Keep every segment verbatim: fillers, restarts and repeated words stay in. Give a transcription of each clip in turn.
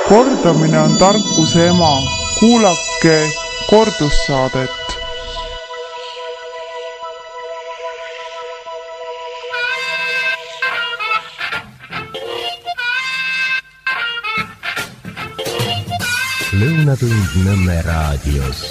Kordamine on tarkuse ema. Kuulake kordussaadet. Lõunatund Nõmme raadios.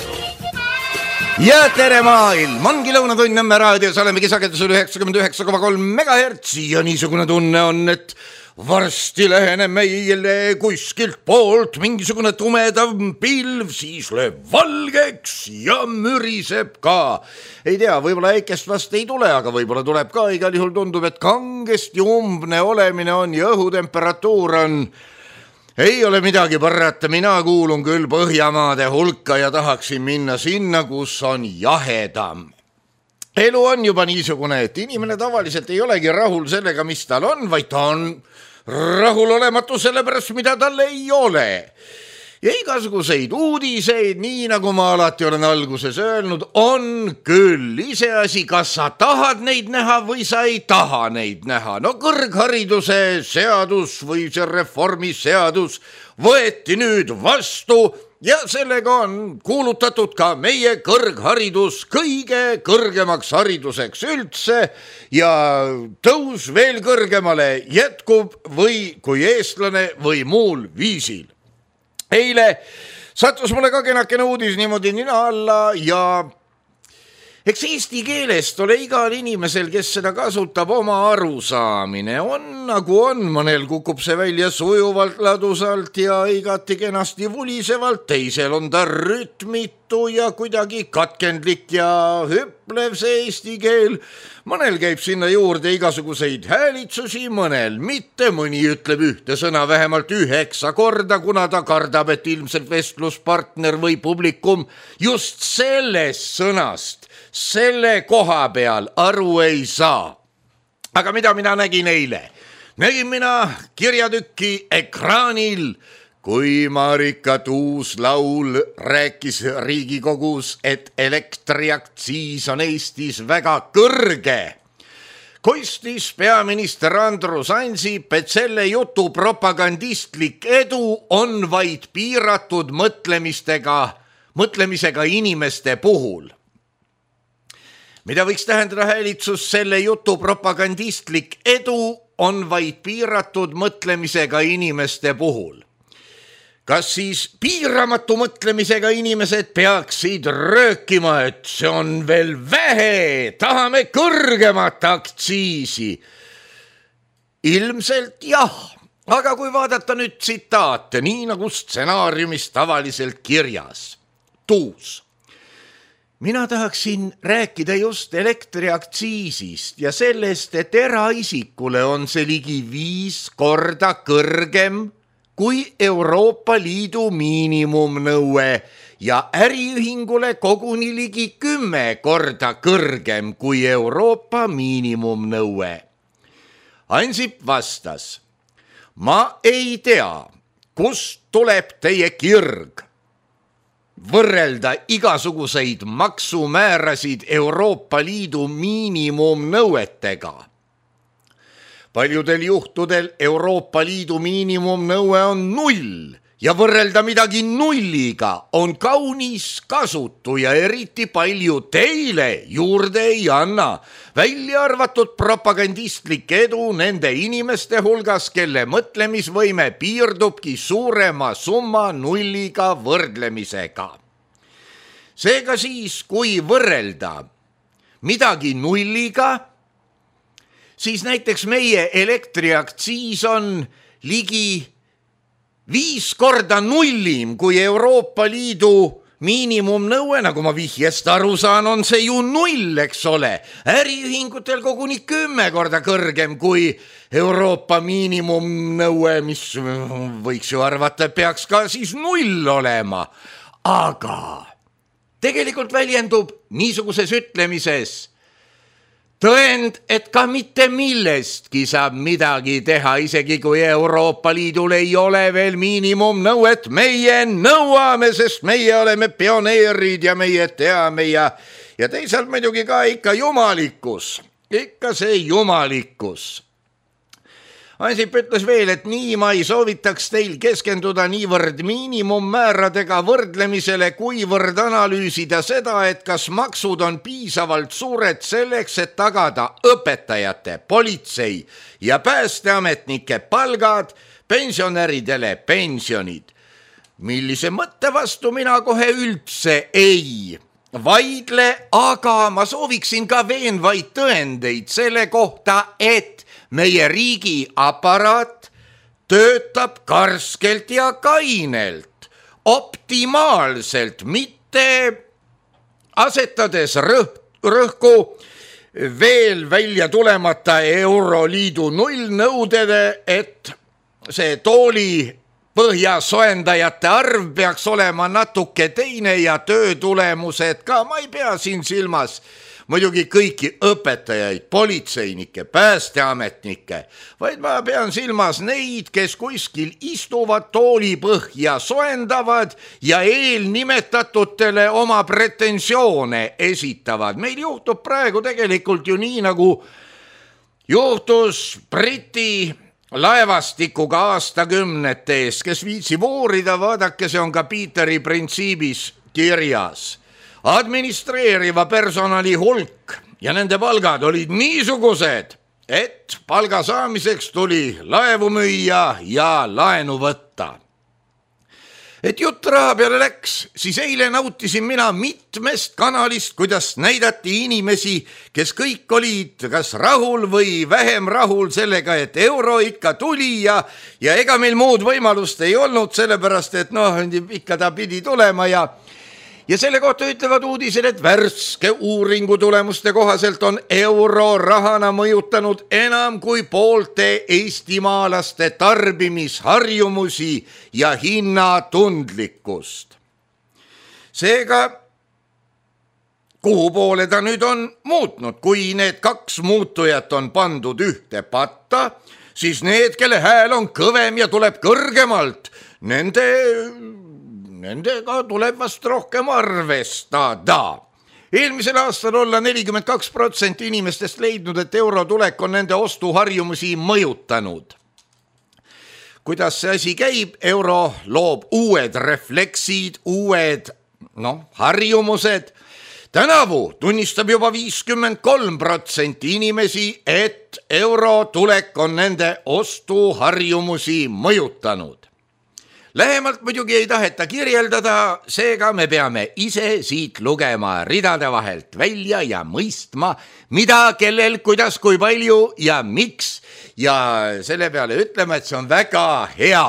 Ja tere maailm, ongi Lõunatund Nõmme raadios, olemegi sagedusel üheksakümmend üheksa koma kolm megahertsi ja niisugune tunne on, et varsti läheneb meile kuskilt poolt mingisugune tumedav pilv, siis lööb valgeks ja müriseb ka. Ei tea, võib-olla äikest vast ei tule, aga võib-olla tuleb ka. Igal juhul tundub, et kangesti umbne olemine on ja õhutemperatuur on. Ei ole midagi parata, mina kuulun küll Põhjamaade hulka ja tahaksin minna sinna, kus on jahedam. Elu on juba niisugune, et inimene tavaliselt ei olegi rahul sellega, mis tal on, vaid ta on rahul olematu sellepärast, mida tal ei ole. Ja igasuguseid uudiseid, nii nagu ma alati olen alguses öelnud, on küll iseasi, kas sa tahad neid näha või sa ei taha neid näha. No kõrghariduse seadus või see reformiseadus võeti nüüd vastu ja sellega on kuulutatud ka meie kõrgharidus kõige kõrgemaks hariduseks üldse ja tõus veel kõrgemale jätkub või kui eestlane või muul viisil. Eile sattus mulle ka kenakene uudis niimoodi nina alla ja eks eesti keelest ole igal inimesel, kes seda kasutab, oma arusaamine. On nagu on, mõnel kukub see välja sujuvalt, ladusalt ja igati kenasti vulisevalt, teisel on ta rütmitu ja kuidagi katkendlik ja hüplev see eesti keel. Mõnel käib sinna juurde igasuguseid häälitsusi, mõnel mitte, mõni ütleb ühte sõna vähemalt üheksa korda, kuna ta kardab, et ilmselt vestluspartner või publikum just sellest sõnast selle koha peal aru ei saa. Aga mida mina nägin eile? Nägin mina kirjatükki ekraanil, kui Marika Tuus-Laul rääkis Riigikogus, et elektriaktsiis on Eestis väga kõrge. Kostis peaminister Andrus Ansip, et selle jutu propagandistlik edu on vaid piiratud mõtlemistega, mõtlemisega inimeste puhul. Mida võiks tähendada häälitsus, selle jutu propagandistlik edu on vaid piiratud mõtlemisega inimeste puhul. Kas siis piiramatu mõtlemisega inimesed peaksid röökima, et see on veel vähe, tahame kõrgemat aktsiisi? Ilmselt jah, aga kui vaadata nüüd tsitaate, nii nagu stsenaariumis tavaliselt kirjas. Tuus. Mina tahaksin rääkida just elektriaktsiisist ja sellest, et eraisikule on see ligi viis korda kõrgem kui Euroopa Liidu miinimumnõue ja äriühingule koguni ligi kümme korda kõrgem kui Euroopa miinimumnõue. Ansip vastas, ma ei tea, kust tuleb teie kirg võrrelda igasuguseid maksumäärasid Euroopa Liidu miinimumnõuetega. Paljudel juhtudel Euroopa Liidu miinimumnõue on null ja võrrelda midagi nulliga on kaunis kasutu ja eriti palju teile juurde ei anna, välja arvatud propagandistlik edu nende inimeste hulgas, kelle mõtlemisvõime piirdubki suurema summa nulliga võrdlemisega. Seega siis, kui võrrelda midagi nulliga, siis näiteks meie elektriaktsiis on ligi viis korda nullim kui Euroopa Liidu miinimumnõue, nagu ma vihjest aru saan, on see ju null, eks ole. Äriühingutel koguni kümme korda kõrgem kui Euroopa miinimumnõue, mis võiks ju arvata, peaks ka siis null olema. Aga tegelikult väljendub niisuguses ütlemises tõend, et ka mitte millestki saab midagi teha, isegi kui Euroopa Liidul ei ole veel miinimumnõuet. Meie nõuame, sest meie oleme pioneerid ja meie teame ja, ja teisalt muidugi ka ikka jumalikkus, ikka see jumalikkus. Ansip ütles veel, et nii ma ei soovitaks teil keskenduda niivõrd miinimummääradega võrdlemisele, kuivõrd analüüsida seda, et kas maksud on piisavalt suured selleks, et tagada õpetajate, politsei ja päästeametnike palgad, pensionäridele pensionid. Millise mõtte vastu mina kohe üldse ei vaidle, aga ma sooviksin ka veenvaid tõendeid selle kohta, et meie riigi aparaat töötab karskelt ja kainelt, optimaalselt, mitte asetades rõh- rõhku veel välja tulemata Euroliidu nullnõudede, et see tooli põhjasoendajate arv peaks olema natuke teine ja töötulemused ka. Ma ei pea siin silmas muidugi kõiki õpetajaid, politseinikke, päästeametnikke, vaid ma pean silmas neid, kes kuskil istuvad tooli põhja soendavad ja eelnimetatutele oma pretensioone esitavad. Meil juhtub praegu tegelikult ju nii, nagu juhtus Briti laevastikuga aastakümnete ees, kes viitsib uurida, vaadake, see on ka Peteri printsiibis kirjas. Administreeriva personali hulk ja nende palgad olid niisugused, et palga saamiseks tuli laevu müüa ja laenu võtta. Et jutt raha peale läks, siis eile nautisin mina mitmest kanalist, kuidas näidati inimesi, kes kõik olid kas rahul või vähem rahul sellega, et euro ikka tuli ja, ja ega meil muud võimalust ei olnud, sellepärast et noh, ikka ta pidi tulema ja Ja selle kohta ütlevad uudised, et värske uuringu tulemuste kohaselt on euro rahana mõjutanud enam kui poolte eestimaalaste tarbimisharjumusi ja hinnatundlikkust. Seega, kuhu poole ta nüüd on muutnud? Kui need kaks muutujat on pandud ühte patta, siis need, kelle hääl on kõvem ja tuleb kõrgemalt, nende... Nendega tuleb vast rohkem arvestada. Eelmisel aastal olla nelikümmend kaks protsenti inimestest leidnud, et euro tulek on nende ostuharjumusi mõjutanud. Kuidas see asi käib? Euro loob uued refleksid, uued no, harjumused. Tänavu tunnistab juba viiskümmend kolm protsenti inimesi, et euro tulek on nende ostuharjumusi mõjutanud. Lähemalt muidugi ei taheta kirjeldada, seega me peame ise siit lugema ridade vahelt välja ja mõistma, mida, kellel, kuidas, kui palju ja miks, ja selle peale ütleme, et see on väga hea.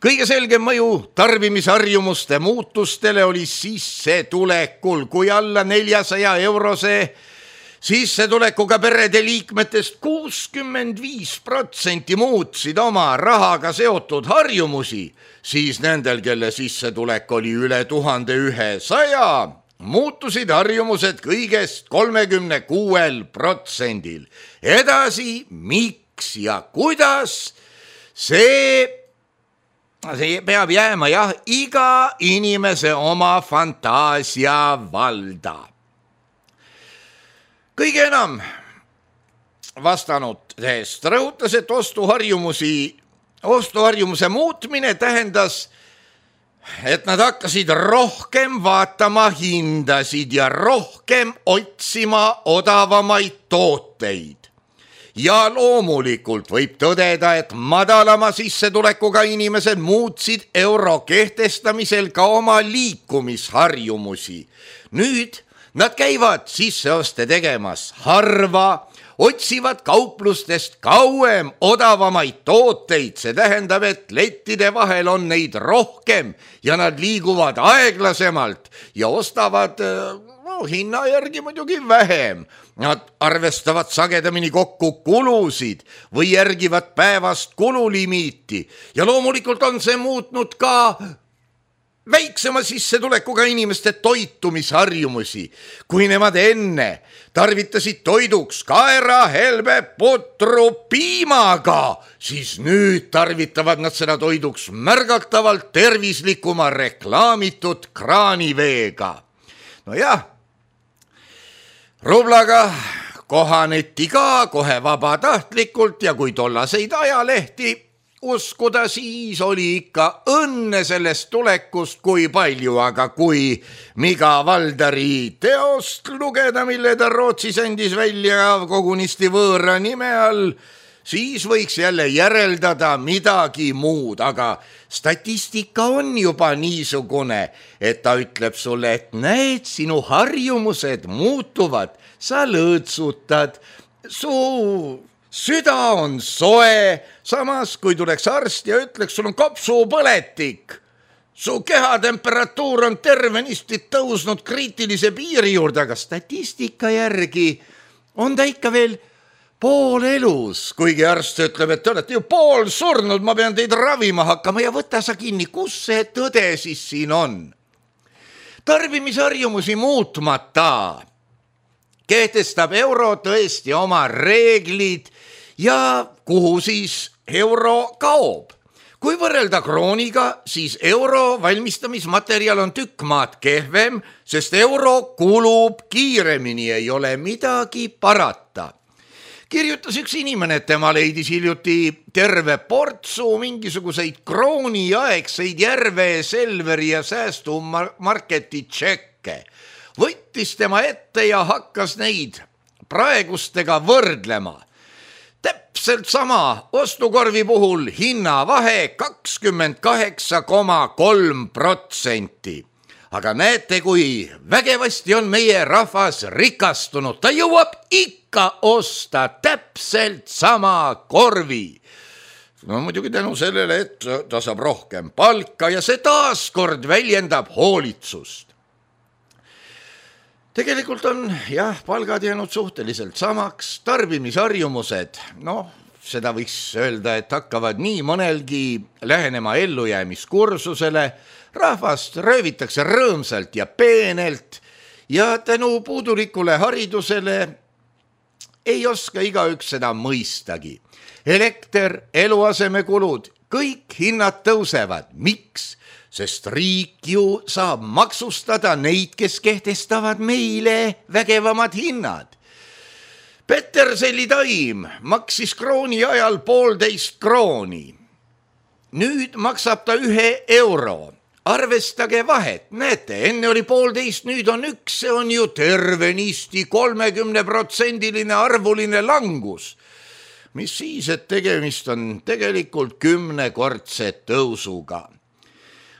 Kõige selgem mõju tarbimisharjumuste muutustele oli sissetulekul, kui alla neljasaja eurose sissetulekuga perede liikmetest kuuskümmend viis protsenti muutsid oma rahaga seotud harjumusi, siis nendel, kelle sissetulek oli üle tuhande ühesaja, muutusid harjumused kõigest kolmekümne kuuel protsendil. Edasi, miks ja kuidas, see, see peab jääma jah, iga inimese oma fantaasia valda. Kõige enam vastanud teest rõhutas, et ostuharjumusi, ostuharjumuse muutmine tähendas, et nad hakkasid rohkem vaatama hindasid ja rohkem otsima odavamaid tooteid. Ja loomulikult võib tõdeda, et madalama sissetulekuga inimesed muutsid euro kehtestamisel ka oma liikumisharjumusi. Nüüd nad käivad sisseoste tegemas harva, otsivad kauplustest kauem odavamaid tooteid, see tähendab, et lettide vahel on neid rohkem ja nad liiguvad aeglasemalt ja ostavad no, hinna järgi muidugi vähem. Nad arvestavad sagedamini kokku kulusid või järgivad päevast kululimiiti ja loomulikult on see muutnud ka väiksema sissetulekuga inimeste toitumisharjumusi. Kui nemad enne tarvitasid toiduks kaera, helbe, putru, piimaga, siis nüüd tarvitavad nad seda toiduks märgatavalt tervislikuma reklaamitud kraaniveega. No jah, rublaga kohaneti ka kohe vabatahtlikult ja kui tollaseid ajalehti uskuda, siis oli ikka õnne sellest tulekust kui palju, aga kui Miga Valdari teost lugeda, mille ta Rootsis andis välja kogunisti võõra nime all, siis võiks jälle järeldada midagi muud, aga statistika on juba niisugune, et ta ütleb sulle, et näed, sinu harjumused muutuvad, sa lõõtsutad, su süda on soe, samas kui tuleks arst ja ütleks, sul on kopsupõletik, su kehatemperatuur on tervenisti tõusnud kriitilise piiri juurde, aga statistika järgi on ta ikka veel pool elus, kuigi arst ütleb, et te olete ju pool surnud, ma pean teid ravima hakkama ja võta sa kinni, kus see tõde siis siin on? Tarbimisharjumusi muutmata kehtestab euro tõesti oma reeglid ja kuhu siis euro kaob. Kui võrrelda krooniga, siis euro valmistamismaterjal on tükk maad kehvem, sest euro kulub kiiremini, ei ole midagi parata. Kirjutas üks inimene, et tema leidis hiljuti terve portsu mingisuguseid krooniaegseid Järve, Selveri ja säästumarketi tšekke. Võttis tema ette ja hakkas neid praegustega võrdlema. Täpselt sama ostukorvi puhul hinnavahe kakskümmend kaheksa koma kolm protsenti. Aga näete, kui vägevasti on meie rahvas rikastunud, ta jõuab ikka osta täpselt sama korvi. No muidugi tänu sellele, et ta saab rohkem palka ja see taaskord väljendab hoolitsust. Tegelikult on jah, palgad jäänud suhteliselt samaks, tarbimisharjumused, noh, seda võiks öelda, et hakkavad nii mõnelgi lähenema ellujäämiskursusele, rahvast röövitakse rõõmsalt ja peenelt ja tänu puudulikule haridusele ei oska igaüks seda mõistagi. Elekter, eluasemekulud, kõik hinnad tõusevad. Miks? Sest riik ju saab maksustada neid, kes kehtestavad meile vägevamad hinnad. Peterselli taim maksis krooni ajal poolteist krooni. Nüüd maksab ta ühe euro. Arvestage vahet, näete, enne oli poolteist, nüüd on üks, see on ju tervenisti kolmekümne protsendiline arvuline langus. Mis siis, et tegemist on tegelikult kümnekordse tõusuga.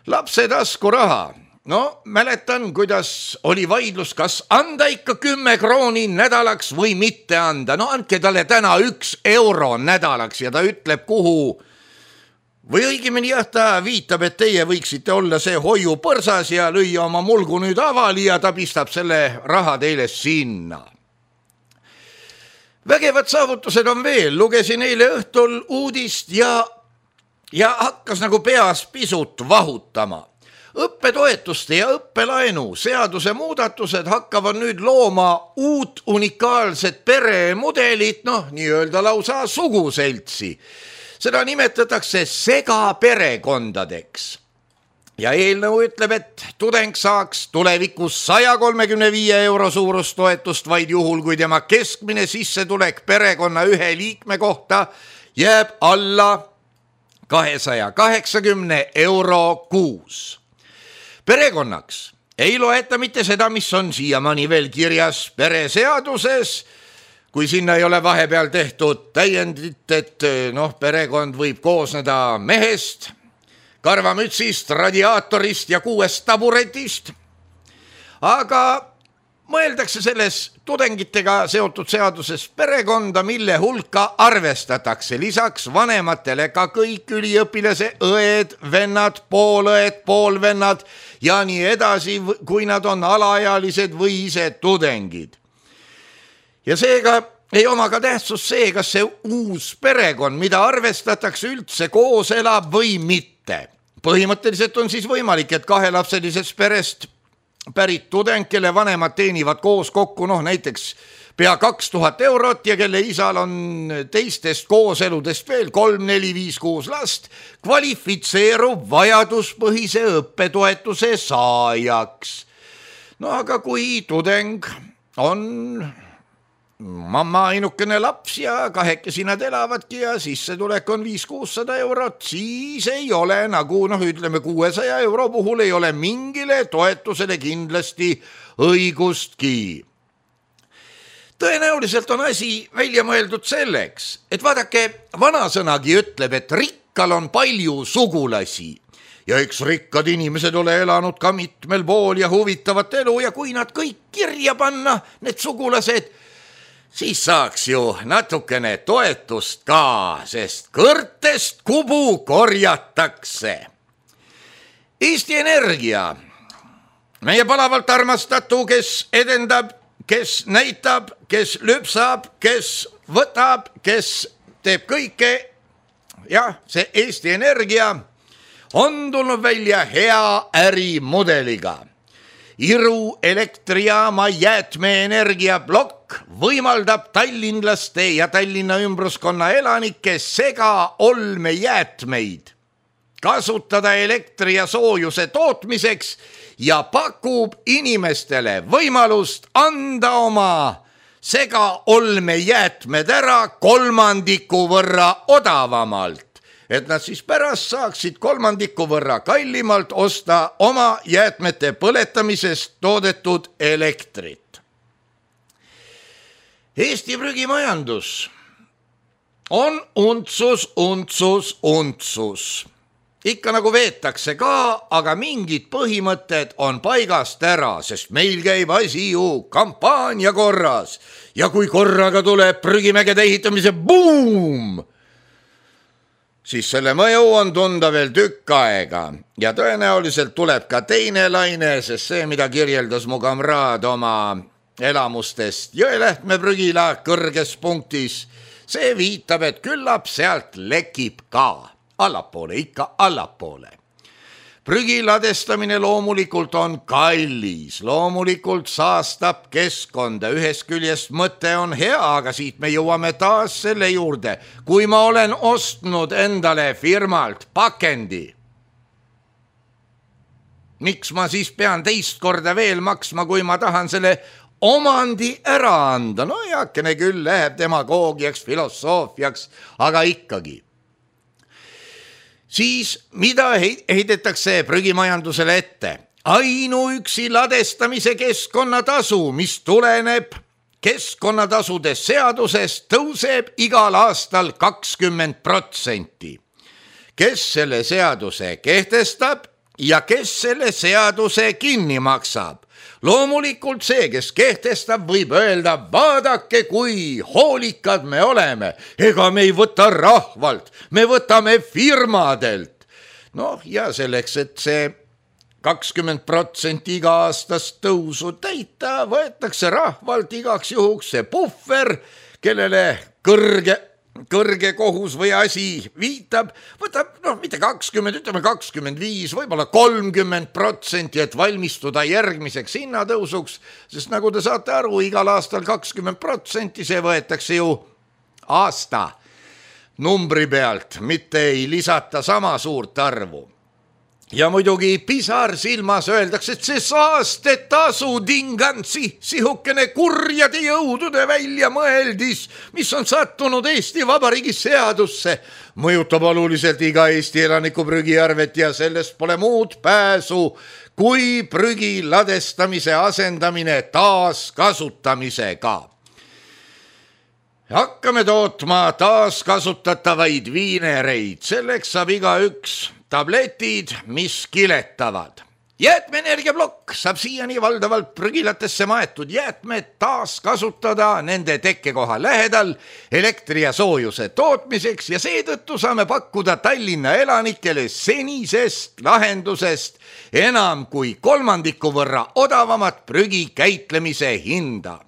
Lapse taskuraha. No, mäletan, kuidas oli vaidlus, kas anda ikka kümme krooni nädalaks või mitte anda. No, andke talle täna üks euro nädalaks ja ta ütleb, kuhu. Või õigemini jah, ta viitab, et teie võiksite olla see hoiu põrsas ja lüüa oma mulgu nüüd avali ja ta pistab selle raha teile sinna. Vägevad saavutused on veel, lugesin eile õhtul uudist ja, ja hakkas nagu peas pisut vahutama. Õppetoetuste ja õppelaenu seaduse muudatused hakkavad nüüd looma uut unikaalset peremudelit, noh, nii öelda lausa suguseltsi. Seda nimetatakse segaperekondadeks. Ja eelnõu ütleb, et tudeng saaks tulevikus saja kolmekümne viie euro suurust toetust vaid juhul, kui tema keskmine sissetulek perekonna ühe liikme kohta jääb alla kahesaja kaheksakümne euro kuus. Perekonnaks ei loeta mitte seda, mis on siiamaani veel kirjas pereseaduses, kui sinna ei ole vahepeal tehtud täiendit, et noh, perekond võib koosneda mehest, karvamütsist, radiaatorist ja kuuest taburetist. Aga mõeldakse selles tudengitega seotud seaduses perekonda, mille hulka arvestatakse lisaks vanematele ka kõik üliõpilase õed, vennad, poolõed, poolvennad ja nii edasi, kui nad on alaealised või ise tudengid. Ja seega ei oma ka tähtsus see, kas see uus perekond, mida arvestatakse üldse koos elab või mitte. Põhimõtteliselt on siis võimalik, et kahelapselisest perest pärit tudeng, kelle vanemad teenivad koos kokku noh, näiteks pea kaks tuhat eurot ja kelle isal on teistest kooseludest veel kolm, neli, viis, kuus last, kvalifitseerub vajaduspõhise õppetoetuse saajaks. No aga kui tudeng on mamma ainukene laps ja kahekesi nad elavadki ja sissetulek on viis kuussada eurot, siis ei ole nagu noh, ütleme kuuesaja euro puhul ei ole mingile toetusele kindlasti õigustki. Tõenäoliselt on asi välja mõeldud selleks, et vaadake, vanasõnagi ütleb, et rikkal on palju sugulasi ja eks rikkad inimesed ole elanud ka mitmel pool ja huvitavat elu ja kui nad kõik kirja panna, need sugulased, siis saaks ju natukene toetust ka, sest kõrtest kubu korjatakse. Eesti Energia, meie palavalt armastatu, kes edendab, kes näitab, kes lüpsab, kes võtab, kes teeb kõike. Jah, see Eesti Energia on tulnud välja hea ärimudeliga. Iru elektrijaama jäätmeenergia plokk võimaldab tallinlaste ja Tallinna ümbruskonna elanike sega olmejäätmeid kasutada elektri ja soojuse tootmiseks ja pakub inimestele võimalust anda oma sega olmejäätmed ära kolmandiku võrra odavamalt, et nad siis pärast saaksid kolmandiku võrra kallimalt osta oma jäätmete põletamisest toodetud elektrit. Eesti prügimajandus on untsus, untsus, untsus. Ikka nagu veetakse ka, aga mingid põhimõtted on paigast ära, sest meil käib asi ju kampaania korras. Ja kui korraga tuleb prügimägede ehitamise buum, siis selle mõju on tunda veel tükk aega ja tõenäoliselt tuleb ka teine laine, sest see, mida kirjeldas mu kamraad oma elamustest Jõelähtme prügila kõrges punktis, see viitab, et küllap sealt lekib ka. Allapoole, ikka allapoole. Prügi ladestamine loomulikult on kallis, loomulikult saastab keskkonda, ühest küljest mõte on hea, aga siit me jõuame taas selle juurde, kui ma olen ostnud endale firmalt pakendi. Miks ma siis pean teist korda veel maksma, kui ma tahan selle omandi ära anda? No jakene küll läheb demagoogiaks, filosoofiaks, aga ikkagi. Siis mida heidetakse prügimajandusele ette? Ainuüksi ladestamise keskkonnatasu, mis tuleneb keskkonnatasude seadusest, tõuseb igal aastal kakskümmend protsenti. Kes selle seaduse kehtestab ja kes selle seaduse kinni maksab? Loomulikult see, kes kehtestab, võib öelda, vaadake, kui hoolikad me oleme. Ega me ei võta rahvalt, me võtame firmadelt. Noh, ja selleks, et see kakskümmend protsenti iga aastast tõusu täita, võetakse rahvalt igaks juhuks see puhver, kellele kõrge kõrge kohus või asi viitab, võtab, noh, mitte kakskümmend, ütleme kakskümmend viis, võib-olla kolmkümmend protsenti, et valmistuda järgmiseks hinnatõusuks, sest nagu te saate aru, igal aastal kakskümmend protsenti, see võetakse ju aasta numbri pealt, mitte ei lisata sama suurt arvu. Ja muidugi pisar silmas öeldakse, et see saastetasu tingansi, sihukene kurjade jõudude välja mõeldis, mis on sattunud Eesti Vabariigi seadusse, mõjutab oluliselt iga Eesti elaniku prügiarvet ja sellest pole muud pääsu kui prügi ladestamise asendamine taaskasutamisega. Hakkame tootma taaskasutatavaid viinereid, selleks saab iga üks tabletid, mis kiletavad. Jäätmeenergiaplokk saab siiani valdavalt prügilatesse maetud jäätmed taaskasutada nende tekkekoha lähedal elektri ja soojuse tootmiseks ja seetõttu saame pakkuda Tallinna elanikele senisest lahendusest enam kui kolmandiku võrra odavamat prügi käitlemise hinda.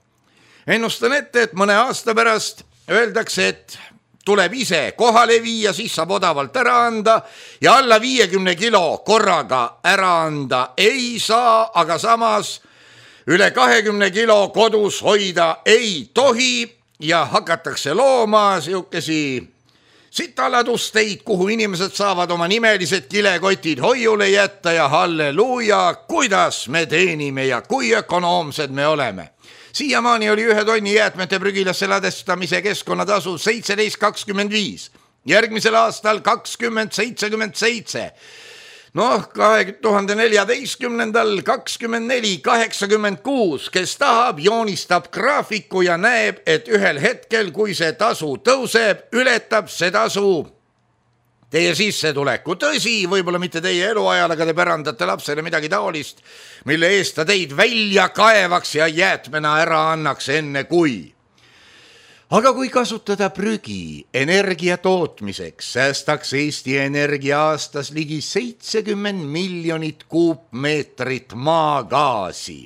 Ennustan ette, et mõne aasta pärast öeldakse, et tuleb ise kohale viia, siis saab odavalt ära anda ja alla viiekümne kilo korraga ära anda ei saa, aga samas üle kahekümne kilo kodus hoida ei tohi ja hakatakse looma sihukesi sitaladusteid, kuhu inimesed saavad oma nimelised kilekotid hoiule jätta ja halleluuja, kuidas me teenime ja kui ökonoomsed me oleme. Siiamaani oli ühe tonni jäätmete prügilasse ladestamise keskkonnatasu seitseteist kakskümmend viis, järgmisel aastal kakskümmend seitsekümmend seitse. Noh, kahe tuhande neljateistkümnendal kakskümmend neli kaheksakümmend kuus, kes tahab, joonistab graafiku ja näeb, et ühel hetkel, kui see tasu tõuseb, ületab see tasu teie sissetuleku. Tõsi, võib-olla mitte teie eluajal, aga te pärandate lapsele midagi taolist, mille eest ta teid välja kaevaks ja jäätmena ära annaks enne kui. Aga kui kasutada prügi energia tootmiseks, säästaks Eesti Energia aastas ligi seitsekümmend miljonit kuupmeetrit maagaasi.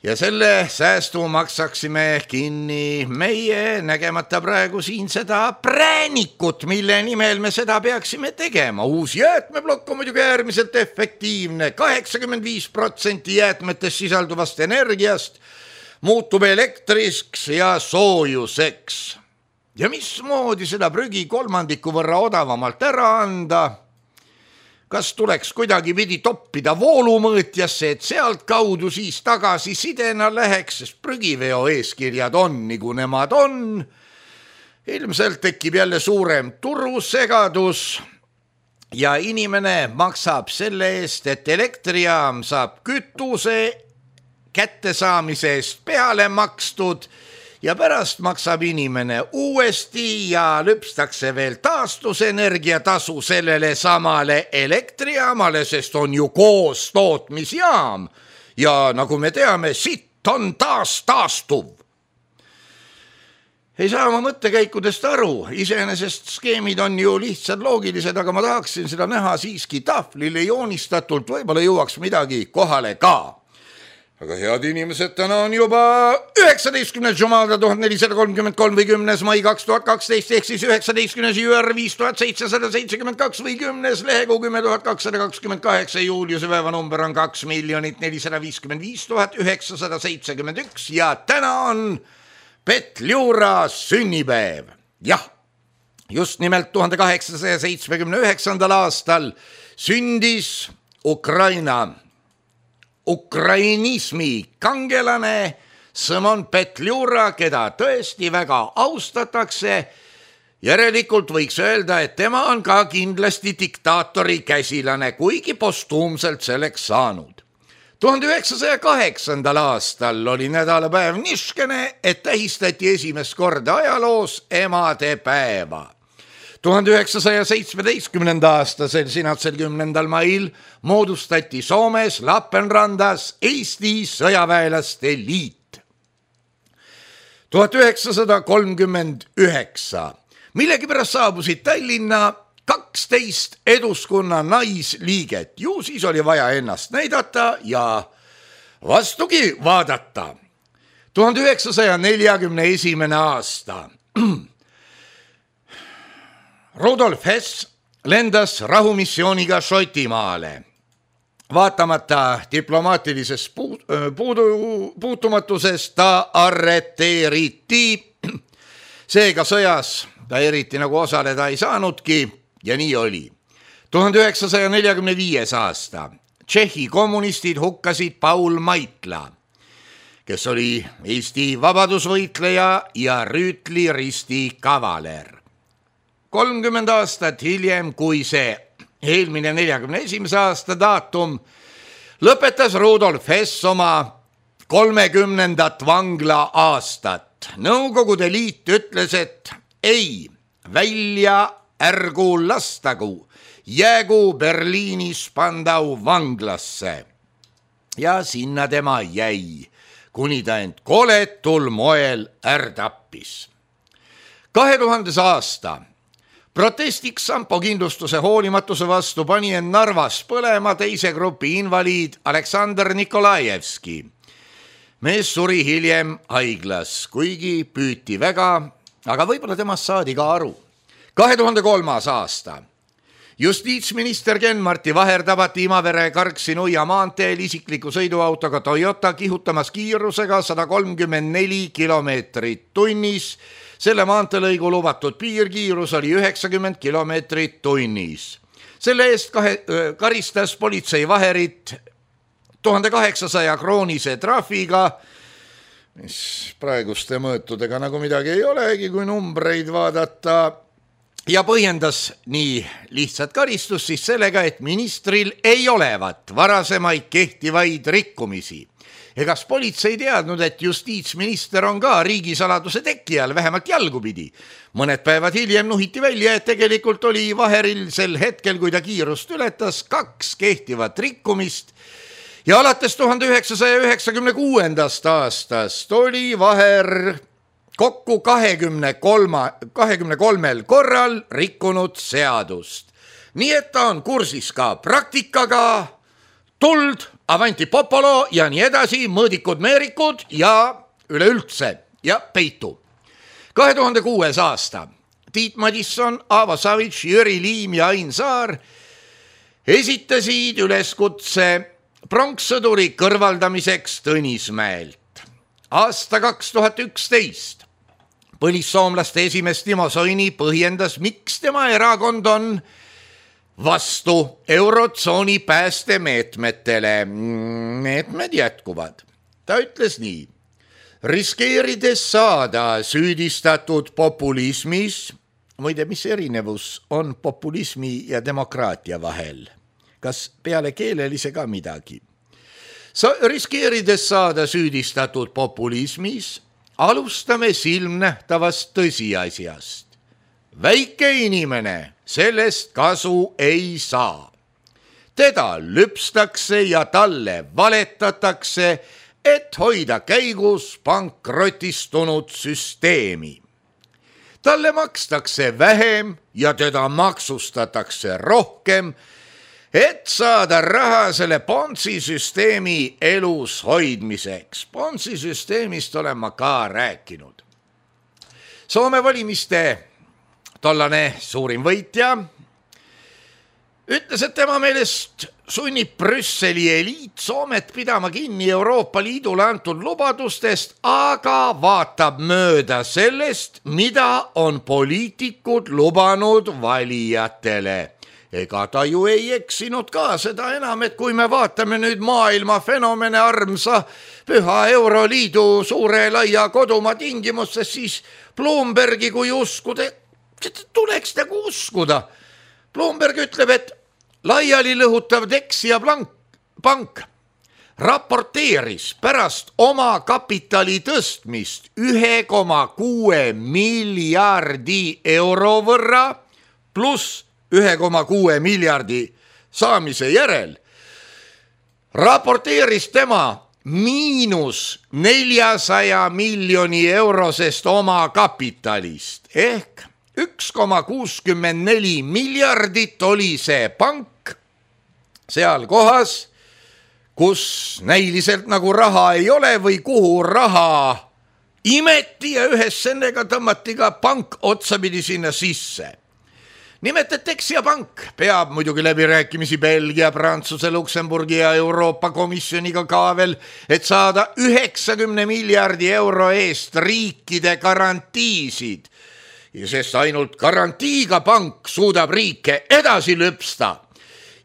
Ja selle säästu maksaksime kinni meie, nägemata praegu siin seda präänikut, mille nimel me seda peaksime tegema. Uus jäätmeblokk on muidugi äärmiselt efektiivne. kaheksakümmend viis protsenti jäätmetest sisalduvast energiast muutub elektriks ja soojuseks. Ja mismoodi seda prügi kolmandiku võrra odavamalt ära anda? Kas tuleks kuidagi pidi toppida voolumõõtjasse, et sealt kaudu siis tagasi sidena läheks, sest prügiveo eeskirjad on, nagu nemad on. Ilmselt tekib jälle suurem turusegadus ja inimene maksab selle eest, et elektrijaam saab kütuse kättesaamise eest peale makstud ja pärast maksab inimene uuesti ja lüpstakse veel taastusenergia tasu sellele samale elektrijaamale, sest on ju koos tootmisjaam ja nagu me teame, sitt on taas taastuv. Ei saa oma mõttekäikudest aru, iseenesest skeemid on ju lihtsad loogilised, aga ma tahaksin seda näha siiski tahvlile joonistatult, võib-olla jõuaks midagi kohale ka. Aga head inimesed, täna on juba üheksateistkümnes Jumada tuhat nelisada kolmkümmend kolm või kümnes mai kaks tuhat kaksteist ehk siis üheksateistkümnes juur viis tuhat seitsesada seitsekümmend kaks või kümnes lehekuu kümme tuhat kakssada kakskümmend kaheksa. Juuliuse päeva number on kaks miljonit nelisada viiskümmend viis tuhat üheksasada seitsekümmend üks ja täna on Petliura sünnipäev. Jah, just nimelt tuhande kaheksasaja seitsmekümne üheksandal aastal sündis Ukraina Ukrainismi kangelane Simon Petliura, keda tõesti väga austatakse. Järelikult võiks öelda, et tema on ka kindlasti diktaatori käsilane, kuigi postuumselt selleks saanud. tuhande üheksasaja kaheksandal aastal oli nädalapäev niškene, et tähistati esimest korda ajaloos emade päeva. tuhande üheksasaja seitsmeteistkümnenda aastasel sinatsel kümnendal mail moodustati Soomes Lappeenrandas Eesti sõjaväelaste liit. tuhat üheksasada kolmkümmend üheksa. Millegipärast saabusid Tallinna kaksteist Eduskunna naisliiget. Ju siis oli vaja ennast näidata ja vastugi vaadata. tuhande üheksasaja neljakümne esimene aasta. Rudolf Hess lendas rahumissiooniga Šotimaale. Vaatamata diplomaatilisest puudu, puutumatusest ta arreteeriti. Seega sõjas ta eriti nagu osaleda ei saanudki ja nii oli. tuhande üheksasaja neljakümne viies aasta. Tšehhi kommunistid hukkasid Paul Maitla, kes oli Eesti vabadusvõitleja ja Rüütli risti kavaler. kolmkümmend aastat hiljem, kui see eelmine neljakümne esimese aasta daatum, lõpetas Rudolf Hess oma kolmekümnendat vangla aastat. Nõukogude liit ütles, et ei, välja ärgu lastagu, jäägu Berliinis pandau vanglasse. Ja sinna tema jäi, kuni ta end koletul moel ärdappis. kahe tuhandes aasta protestiks Sampo kindlustuse hoolimatuse vastu pani end Narvas põlema teise grupi invaliid Aleksandr Nikolajevski. Mees suri hiljem haiglas, kuigi püüti väga, aga võib-olla temast saadi ka aru. kahe tuhande kolmas aasta. Justiitsminister Ken-Marti Vaher tabati Imavere Karksi-Nuia maanteel isikliku sõiduautoga Toyota kihutamas kiirusega sada kolmkümmend neli kilomeetrit tunnis. Selle maantelõigu lubatud piirkiirus oli üheksakümmend kilomeetrit tunnis. Selle eest kahe, karistas politsei Vaherit tuhande kaheksasaja kroonise trahviga mis praeguste mõõtudega nagu midagi ei olegi, kui numbreid vaadata. Ja põhjendas nii lihtsat karistus siis sellega, et ministril ei olevat varasemaid kehtivaid rikkumisi. Egas politsei teadnud, et justiitsminister on ka riigisaladuse tekkijal vähemalt jalgupidi. Mõned päevad hiljem nuhiti välja, et tegelikult oli Vaheril sel hetkel, kui ta kiirust ületas, kaks kehtivat rikkumist. Ja alates tuhande üheksasaja üheksakümne kuuendast aastast oli Vaher kokku kahekümne kolmel korral rikkunud seadust. Nii et ta on kursis ka praktikaga, tuld, avanti popolo ja nii edasi, mõõdikud, meerikud ja üleüldse ja peitu. kahe tuhande kuues aasta Tiit Madisson, Aavo Savits, Jüri Liim ja Ain Saar esitasid üleskutse pronkssõduri kõrvaldamiseks Tõnismäelt. Aasta kaks tuhat üksteist põlissoomlaste esimees Timo Soini põhjendas, miks tema erakond on vastu eurotsooni päästemeetmetele. Meetmed jätkuvad. Ta ütles nii: riskeerides saada süüdistatud populismis, muide, mis erinevus on populismi ja demokraatia vahel? Kas peale keelelise ka midagi? Sa riskeerides saada süüdistatud populismis, alustame silmnähtavast tõsiasjast. Väike inimene sellest kasu ei saa. Teda lüpstakse ja talle valetatakse, et hoida käigus pankrotistunud süsteemi. Talle makstakse vähem ja teda maksustatakse rohkem, et saada raha selle Ponzi süsteemi elus hoidmiseks. Ponzi süsteemist olen ma ka rääkinud. Soome valimiste tollane suurim võitja ütles, et tema meelest sunnib Brüsseli eliit Soomet pidama kinni Euroopa Liidule antud lubadustest, aga vaatab mööda sellest, mida on poliitikud lubanud valijatele. Ega ta ju ei eksinud ka, seda enam, et kui me vaatame nüüd maailma fenomene armsa püha Euroliidu suure laia kodumaa tingimustes, siis Bloombergi kui uskuda, tuleks nagu uskuda. Bloomberg ütleb, et laiali lõhutav Dexia pank raporteeris pärast oma kapitali tõstmist ühe koma kuue miljardi euro võrra pluss ühe koma kuue miljardi saamise järel, raporteeris tema miinus neljasaja miljoni eurosest oma kapitalist ehk üks koma kuuskümmend neli miljardit oli see pank seal kohas, kus näiliselt nagu raha ei ole või kuhu raha imeti ja ühes sennega tõmmati ka pank otsapidi sinna sisse. Nimelt, et Dexia pank peab muidugi läbirääkimisi Belgia, Prantsuse, Luksemburgi ja Euroopa Komisjoniga ka veel, et saada üheksakümne miljardi euro eest riikide garantiisid. Ja sest ainult garantiiga pank suudab riike edasi lüpsta.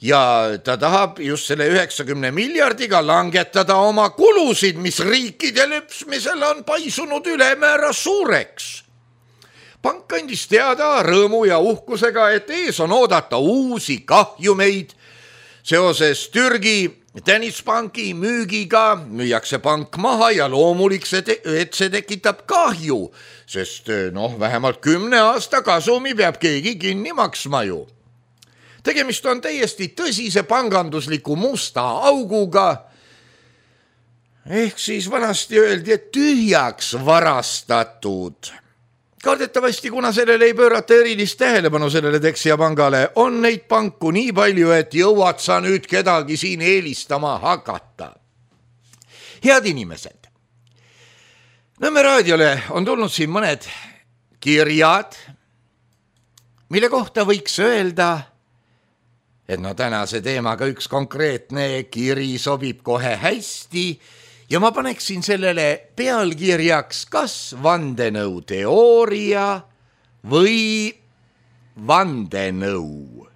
Ja ta tahab just selle üheksakümne miljardiga langetada oma kulusid, mis riikide lüpsmisel on paisunud ülemäära suureks. Pank andis teada rõõmu ja uhkusega, et ees on oodata uusi kahjumeid. Seoses Türgi Tennispanki müügiga müüakse pank maha ja loomulik see, et see tekitab kahju, sest noh, vähemalt kümne aasta kasumi peab keegi kinni maksma ju. Tegemist on täiesti tõsise pangandusliku musta auguga, ehk siis vanasti öeldi, et tühjaks varastatud. Kardetavasti, kuna sellele ei pöörata erilist tähelepanu sellele Dexia pangale, on neid panku nii palju, et jõuad sa nüüd kedagi siin eelistama hakata. Head inimesed, Nõmme raadiole on tulnud siin mõned kirjad, mille kohta võiks öelda, et no tänase teemaga üks konkreetne kiri sobib kohe hästi, ja ma paneksin sellele pealkirjaks kas vandenõuteooria või vandenõu.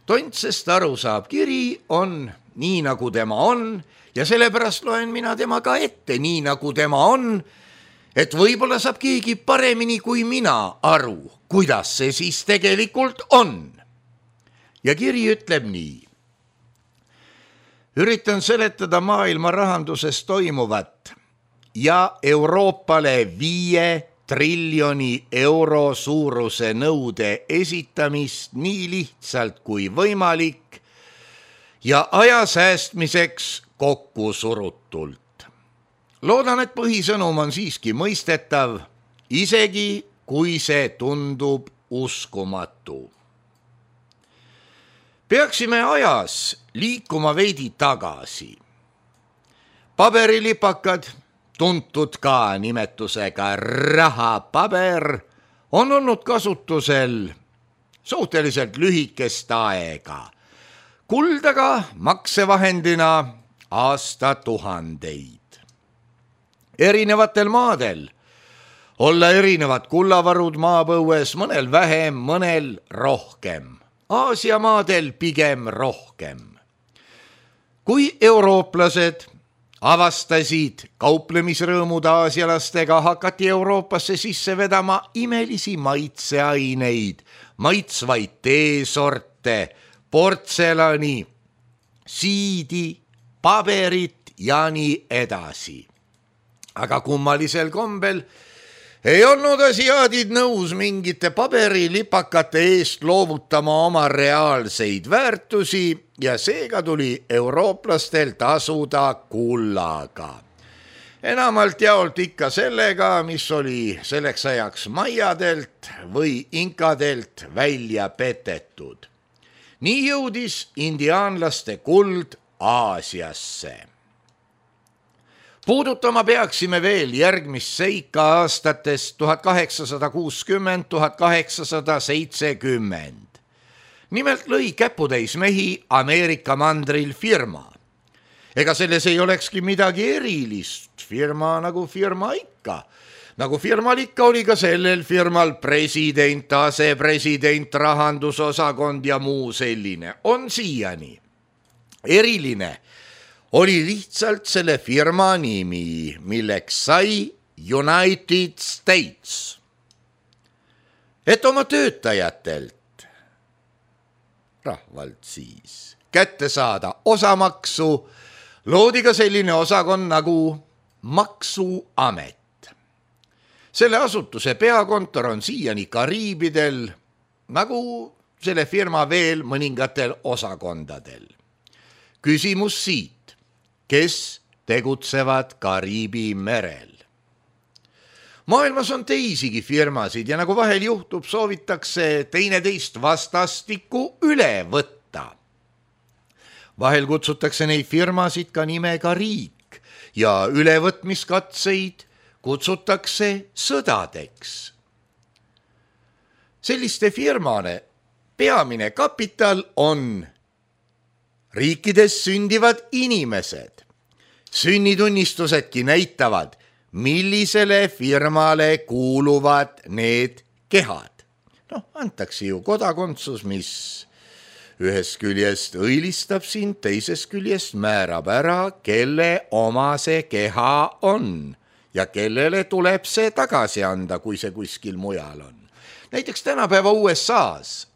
Tontsest aru saab kiri on nii nagu tema on ja sellepärast loen mina tema ka ette nii nagu tema on, et võib-olla saab keegi paremini kui mina aru, kuidas see siis tegelikult on. Ja kiri ütleb nii. Üritan seletada maailma rahanduses toimuvat ja Euroopale viie triljoni euro suuruse nõude esitamist nii lihtsalt kui võimalik ja aja säästmiseks kokku surutult. Loodan, et põhisõnum on siiski mõistetav, isegi kui see tundub uskumatu. Peaksime ajas liikuma veidi tagasi. Paberilipakad, tuntud ka nimetusega rahapaber, on olnud kasutusel suhteliselt lühikest aega. Kuldaga maksevahendina aastatuhandeid. Erinevatel maadel olla erinevad kullavarud maapõues, mõnel vähem, mõnel rohkem. Aasia maadel pigem rohkem. Kui eurooplased avastasid kauplemisrõõmud aasialastega, hakati Euroopasse sisse vedama imelisi maitseaineid, maitsvaid teesorte, portselani, siidi, paberit ja nii edasi. Aga kummalisel kombel ei olnud asiaadid nõus mingite paberilipakate eest loovutama oma reaalseid väärtusi ja seega tuli eurooplastel tasuda kullaga. Enamalt jaolt ikka sellega, mis oli selleks ajaks maiadelt või inkadelt välja petetud. Nii jõudis indiaanlaste kuld Aasiasse. Puudutama peaksime veel järgmist seika aastatest tuhat kaheksasada kuuskümmend, tuhat kaheksasada seitsekümmend. Nimelt lõi käputäis mehi Ameerika mandril firma. Ega selles ei olekski midagi erilist, firma nagu firma ikka. Nagu firmal ikka oli ka sellel firmal president, asepresident, rahandusosakond ja muu selline. On siiani. Eriline oli lihtsalt selle firma nimi, milleks sai United States. Et oma töötajatelt, rahvalt siis, kätte saada osamaksu, loodi ka selline osakond nagu Maksuamet. Selle asutuse peakontor on siiani Kariibidel, nagu selle firma veel mõningatel osakondadel. Küsimus siit. Kes tegutsevad Kariibi merel. Maailmas on teisigi firmasid ja nagu vahel juhtub, soovitakse teineteist vastastikku üle võtta. Vahel kutsutakse neid firmasid ka nimega riik ja ülevõtmiskatseid kutsutakse sõdadeks. Selliste firmane peamine kapital on riikides sündivad inimesed. Sünnitunnistusedki näitavad, millisele firmale kuuluvad need kehad. Noh, antakse ju kodakondsus, mis ühest küljest õilistab sind, teisest küljest määrab ära, kelle oma see keha on ja kellele tuleb see tagasi anda, kui see kuskil mujal on. Näiteks tänapäeva U S A-s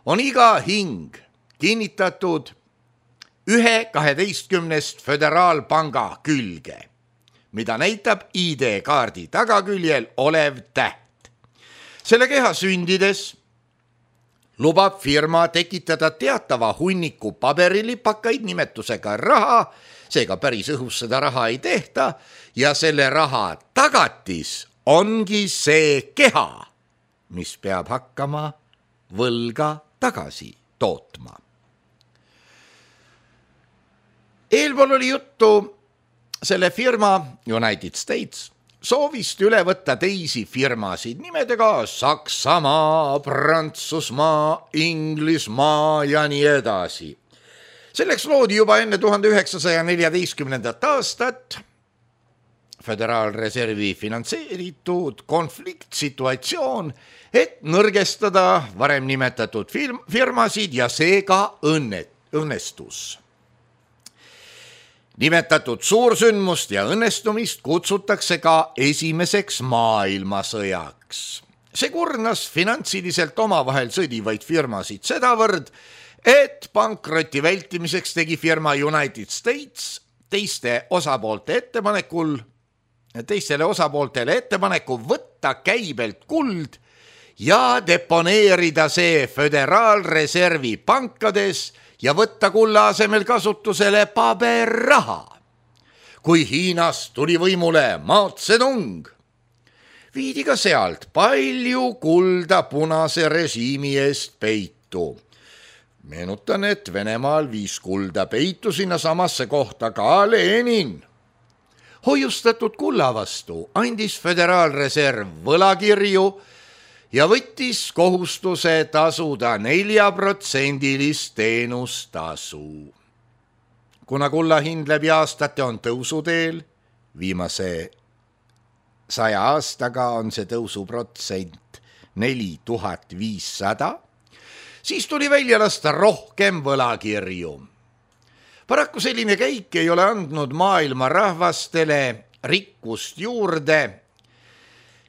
on iga hing kinnitatud ühe kaheteistkümnest föderaalpanga külge, mida näitab I D-kaardi tagaküljel olev täht. Selle keha sündides lubab firma tekitada teatava hunniku paberilipakaid nimetusega raha, seega päris õhus seda raha ei tehta ja selle raha tagatis ongi see keha, mis peab hakkama võlga tagasi tootma. Eelpool oli juttu selle firma United States soovist üle võtta teisi firmasid nimedega Saksamaa, Prantsusmaa, Inglismaa ja nii edasi. Selleks loodi juba enne tuhande üheksasaja neljateistkümnendat aastat Föderaalreservi finantseeritud konfliktsituatsioon, et nõrgestada varem nimetatud firmasid ja seega õnnet, õnnestus. Nimetatud suursündmust ja õnnestumist kutsutakse ka esimeseks maailmasõjaks. See kurnas finantsiliselt omavahel sõdivaid firmasid sedavõrd, et pankroti vältimiseks tegi firma United States teiste osapoolte ettepanekul, teistele osapooltele ettepaneku võtta käibelt kuld ja deponeerida see Föderaalreservi pankades ja võtta kulla asemel kasutusele paberraha. Kui Hiinas tuli võimule Mao Zedong, viidi ka sealt palju kulda punase režiimi eest peitu. Meenutan, et Venemaal viis kulda peitu sinna samasse kohta ka Lenin. Hoiustatud kulla vastu andis Föderaalreserv võlakirju ja võttis kohustuse tasuda neljaprotsendilist teenustasu. Kuna kulla hind läbi aastate on tõusuteel, viimase saja aastaga on see tõusuprotsent neli tuhat viissada, siis tuli välja lasta rohkem võlakirju. Paraku selline käik ei ole andnud maailma rahvastele rikkust juurde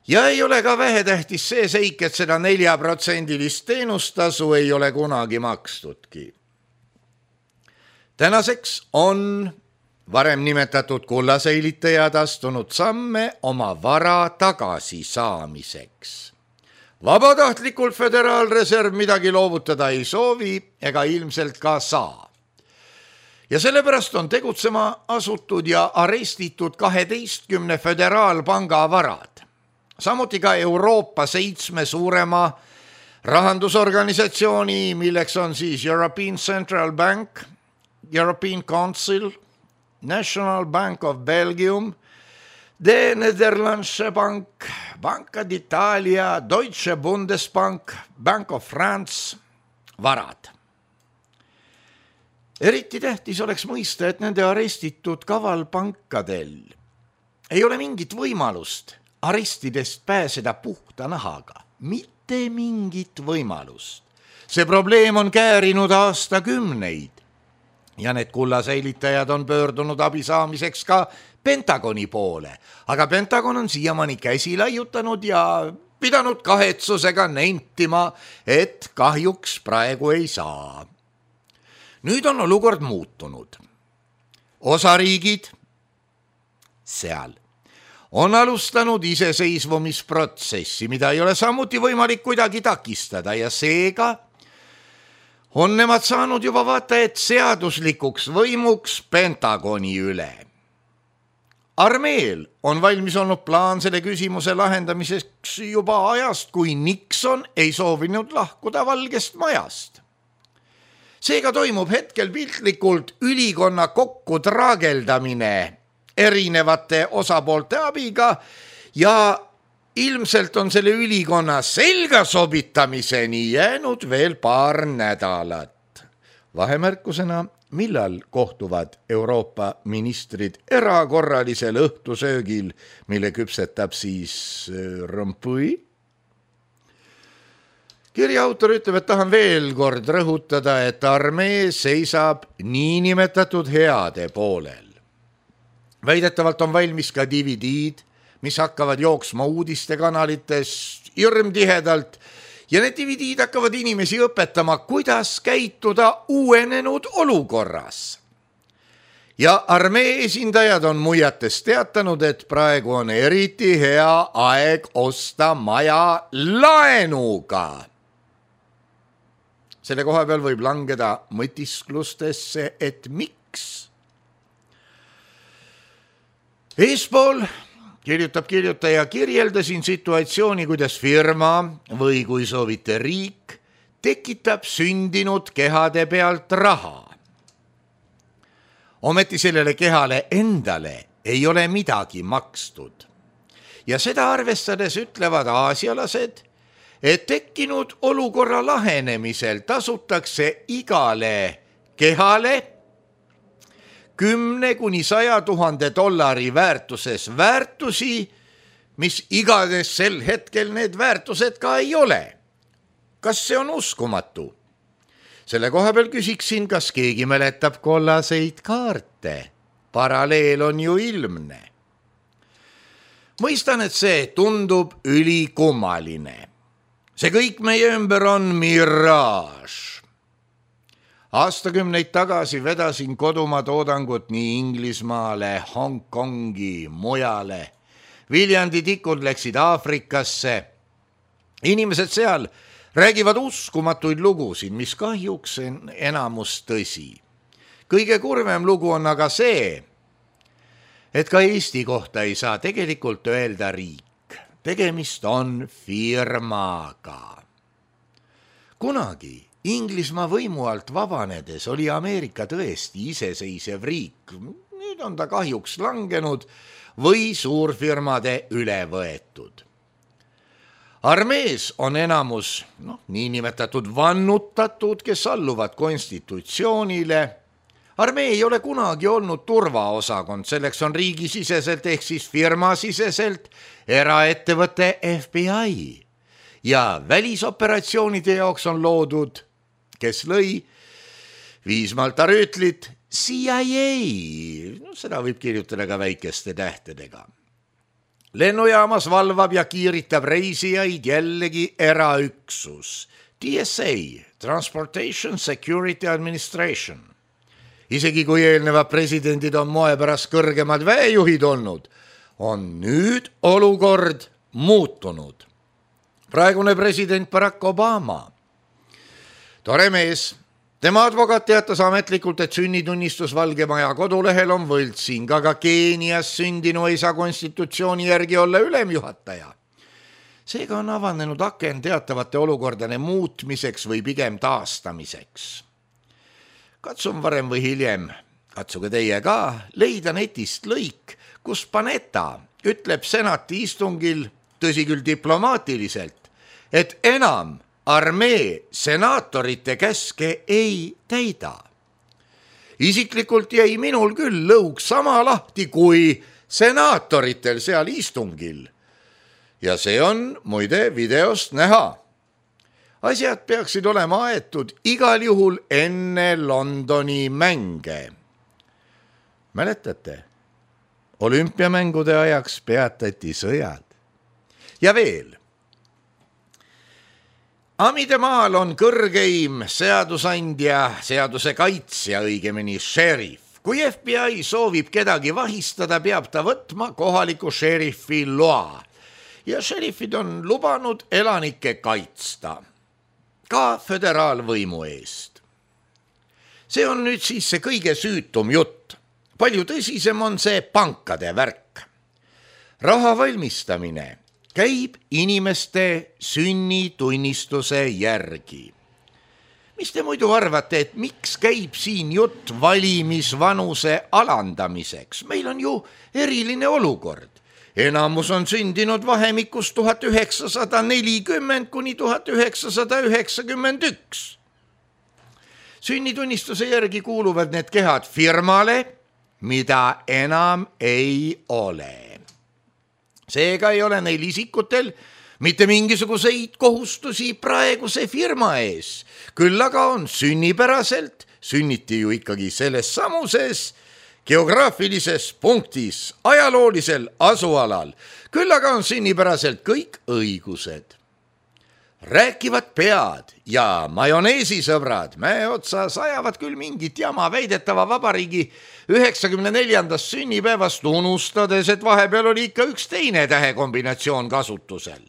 ja ei ole ka vähetähtis see seik, et seda neljaprotsendilist teenustasu ei ole kunagi makstudki. Tänaseks on varem nimetatud kullasäilitajad astunud samme oma vara tagasi saamiseks. Vabatahtlikult Föderaalreserv midagi loovutada ei soovi ega ilmselt ka saa. Ja sellepärast on tegutsema asutud ja arestitud kaheteistkümne föderaalpanga varad. Samuti ka Euroopa seitsme suurema rahandusorganisatsiooni, milleks on siis European Central Bank, European Council, National Bank of Belgium, The Nederlandse Bank, Banca d'Italia, Deutsche Bundesbank, Bank of France, varad. Eriti tähtis oleks mõista, et nende arestitud kavalpankadel ei ole mingit võimalust arestidest pääseda puhta nahaga. Mitte mingit võimalust. See probleem on käärinud aastakümneid ja need kullasäilitajad on pöördunud abi saamiseks ka Pentagoni poole, aga Pentagon on siiamaani käsi laiutanud ja pidanud kahetsusega nentima, et kahjuks praegu ei saa. Nüüd on olukord muutunud. Osariigid seal on alustanud iseseisvumisprotsessi, mida ei ole samuti võimalik kuidagi takistada ja seega on nemad saanud juba vaata, et seaduslikuks võimuks Pentagoni üle. Armeel on valmis olnud plaan selle küsimuse lahendamiseks juba ajast, kui Nixon ei soovinud lahkuda Valgest Majast. Seega toimub hetkel piltlikult ülikonna kokku traageldamine erinevate osapoolte abiga ja ilmselt on selle ülikonna selga sobitamiseni jäänud veel paar nädalat. Vahemärkusena, millal kohtuvad Euroopa ministrid erakorralisel õhtusöögil, mille küpsetab siis Rompuy? Kirja autor ütleb, et tahan veel kord rõhutada, et armee seisab niinimetatud heade poolel. Väidetavalt on valmis ka D V D-d, mis hakkavad jooksma uudistekanalites hirmtihedalt ja need D V D-d hakkavad inimesi õpetama, kuidas käituda uuenenud olukorras. Ja armee esindajad on muiates teatanud, et praegu on eriti hea aeg osta maja laenuga. Selle koha peal võib langeda mõtisklustesse, et miks. Eespool kirjutab kirjutaja, kirjeldasin situatsiooni, kuidas firma või kui soovite riik tekitab sündinud kehade pealt raha. Ometi sellele kehale endale ei ole midagi makstud. Ja seda arvestades ütlevad aasialased, et tekkinud olukorra lahenemisel tasutakse igale kehale kümne kuni saja tuhande dollari väärtuses väärtusi, mis igades sel hetkel need väärtused ka ei ole. Kas see on uskumatu? Selle koha peal küsiksin, kas keegi mäletab kollaseid kaarte. paralleel on ju ilmne. Mõistan, et see tundub ülikummaline. See kõik meie ümber on miraaž. Aastakümneid tagasi vedasin kodumaa toodangut nii Inglismaale, Hongkongi, mujale. Viljandi tikud läksid Aafrikasse. Inimesed seal räägivad uskumatuid lugusid, mis kahjuks on enamus tõsi. Kõige kurvem lugu on aga see, et ka Eesti kohta ei saa tegelikult öelda riik. Tegemist on firmaga. Kunagi Inglismaa võimu alt vabanedes oli Ameerika tõesti iseseisev riik. Nüüd on ta kahjuks langenud või suurfirmade üle võetud. Armees on enamus no, niinimetatud vannutatud, kes alluvad konstitutsioonile. Armee ei ole kunagi olnud turvaosakond, selleks on riigisiseselt ehk siis firmasiseselt eraettevõte F B I. Ja välisoperatsioonide jaoks on loodud, kes lõi Viismalta rüütlit C I A. No, seda võib kirjutada ka väikeste tähtedega. Lennujaamas valvab ja kiiritab reisijaid jällegi eraüksus. T S A, Transportation Security Administration. Isegi kui eelnevad presidendid on moe pärast kõrgemad väejuhid olnud, on nüüd olukord muutunud. Praegune president Barack Obama. Tore mees. Tema advokaat teatas ametlikult, et sünnitunnistus Valgemaja kodulehel on võltsing, aga Keenias sündinu ei saa konstitutsiooni järgi olla ülemjuhataja. Seega on avanenud aken teatavate olukordade muutmiseks või pigem taastamiseks. Katsun varem või hiljem, katsuge teie ka, leida netist lõik, kus Panetta ütleb senati istungil, tõsi küll diplomaatiliselt, et enam armee senaatorite käske ei täida. Isiklikult jäi minul küll lõug sama lahti kui senaatoritel seal istungil. Ja see on muide videost näha. Asjad peaksid olema aetud igal juhul enne Londoni mänge. Mäletate? Olümpiamängude ajaks peatati sõjad. Ja veel. Amide maal on kõrgeim seadusandja, seaduse kaitsja, õigemini šerif. Kui F B I soovib kedagi vahistada, peab ta võtma kohaliku šerifi loa. Ja šerifid on lubanud elanikke kaitsta. Ka föderaalvõimu eest. See on nüüd siis see kõige süütum jutt. Palju tõsisem on see pankade värk. Raha valmistamine käib inimeste sünnitunnistuse järgi. Mis te muidu arvate, et miks käib siin jutt valimisvanuse alandamiseks? Meil on ju eriline olukord. Enamus on sündinud vahemikus tuhat üheksasada nelikümmend kuni tuhat üheksasada üheksakümmend üks. Sünnitunnistuse järgi kuuluvad need kehad firmale, mida enam ei ole. Seega ei ole neil isikutel mitte mingisuguseid kohustusi praeguse firma ees. Küll aga on sünnipäraselt, sünniti ju ikkagi selles samuses geograafilises punktis, ajaloolisel asualal. Küll aga on sünnipäraselt kõik õigused. Rääkivad pead ja majoneesisõbrad mäe otsas ajavad küll mingit jama väidetava vabariigi üheksakümne neljandast sünnipäevast, unustades, et vahepeal oli ikka üks teine tähekombinatsioon kasutusel.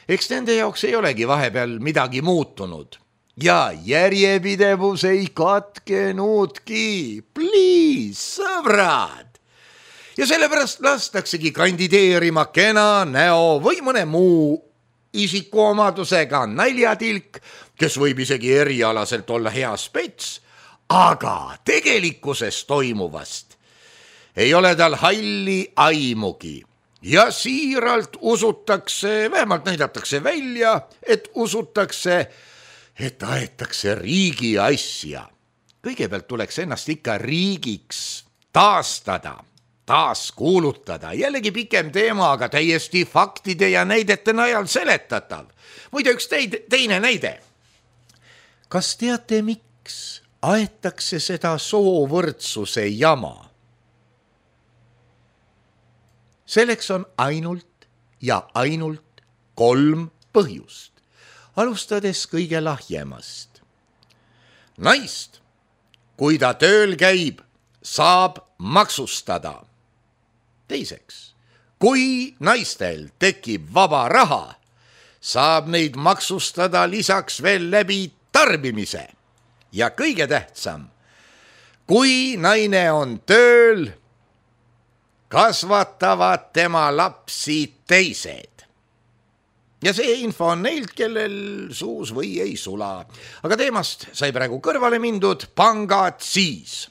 Eks nende jaoks ei olegi vahepeal midagi muutunud. Ja järjepidevus ei katkenudki. Please, sõbrad! Ja sellepärast lastaksegi kandideerima kena näo või mõne muu isikuomadusega naljatilk, kes võib isegi erialaselt olla hea spets, aga tegelikkuses toimuvast ei ole tal halli aimugi. Ja siiralt usutakse, vähemalt näidatakse välja, et usutakse, et aetakse riigi asja. Kõigepealt tuleks ennast ikka riigiks taastada, taas kuulutada. Jällegi pikem teema, aga täiesti faktide ja näidete najal seletatav. Muide, üks teid, teine näide. Kas teate, miks aetakse seda soovõrdsuse jama? selleks on ainult ja ainult kolm põhjust. Alustades kõige lahjemast. Naist, kui ta tööl käib, saab maksustada. Teiseks, kui naistel tekib vaba raha, saab neid maksustada lisaks veel läbi tarbimise. Ja kõige tähtsam, kui naine on tööl, kasvatavad tema lapsi teised. Ja see info on neilt, kellel suus või ei sula. Aga teemast sai praegu kõrvale mindud, pangad siis.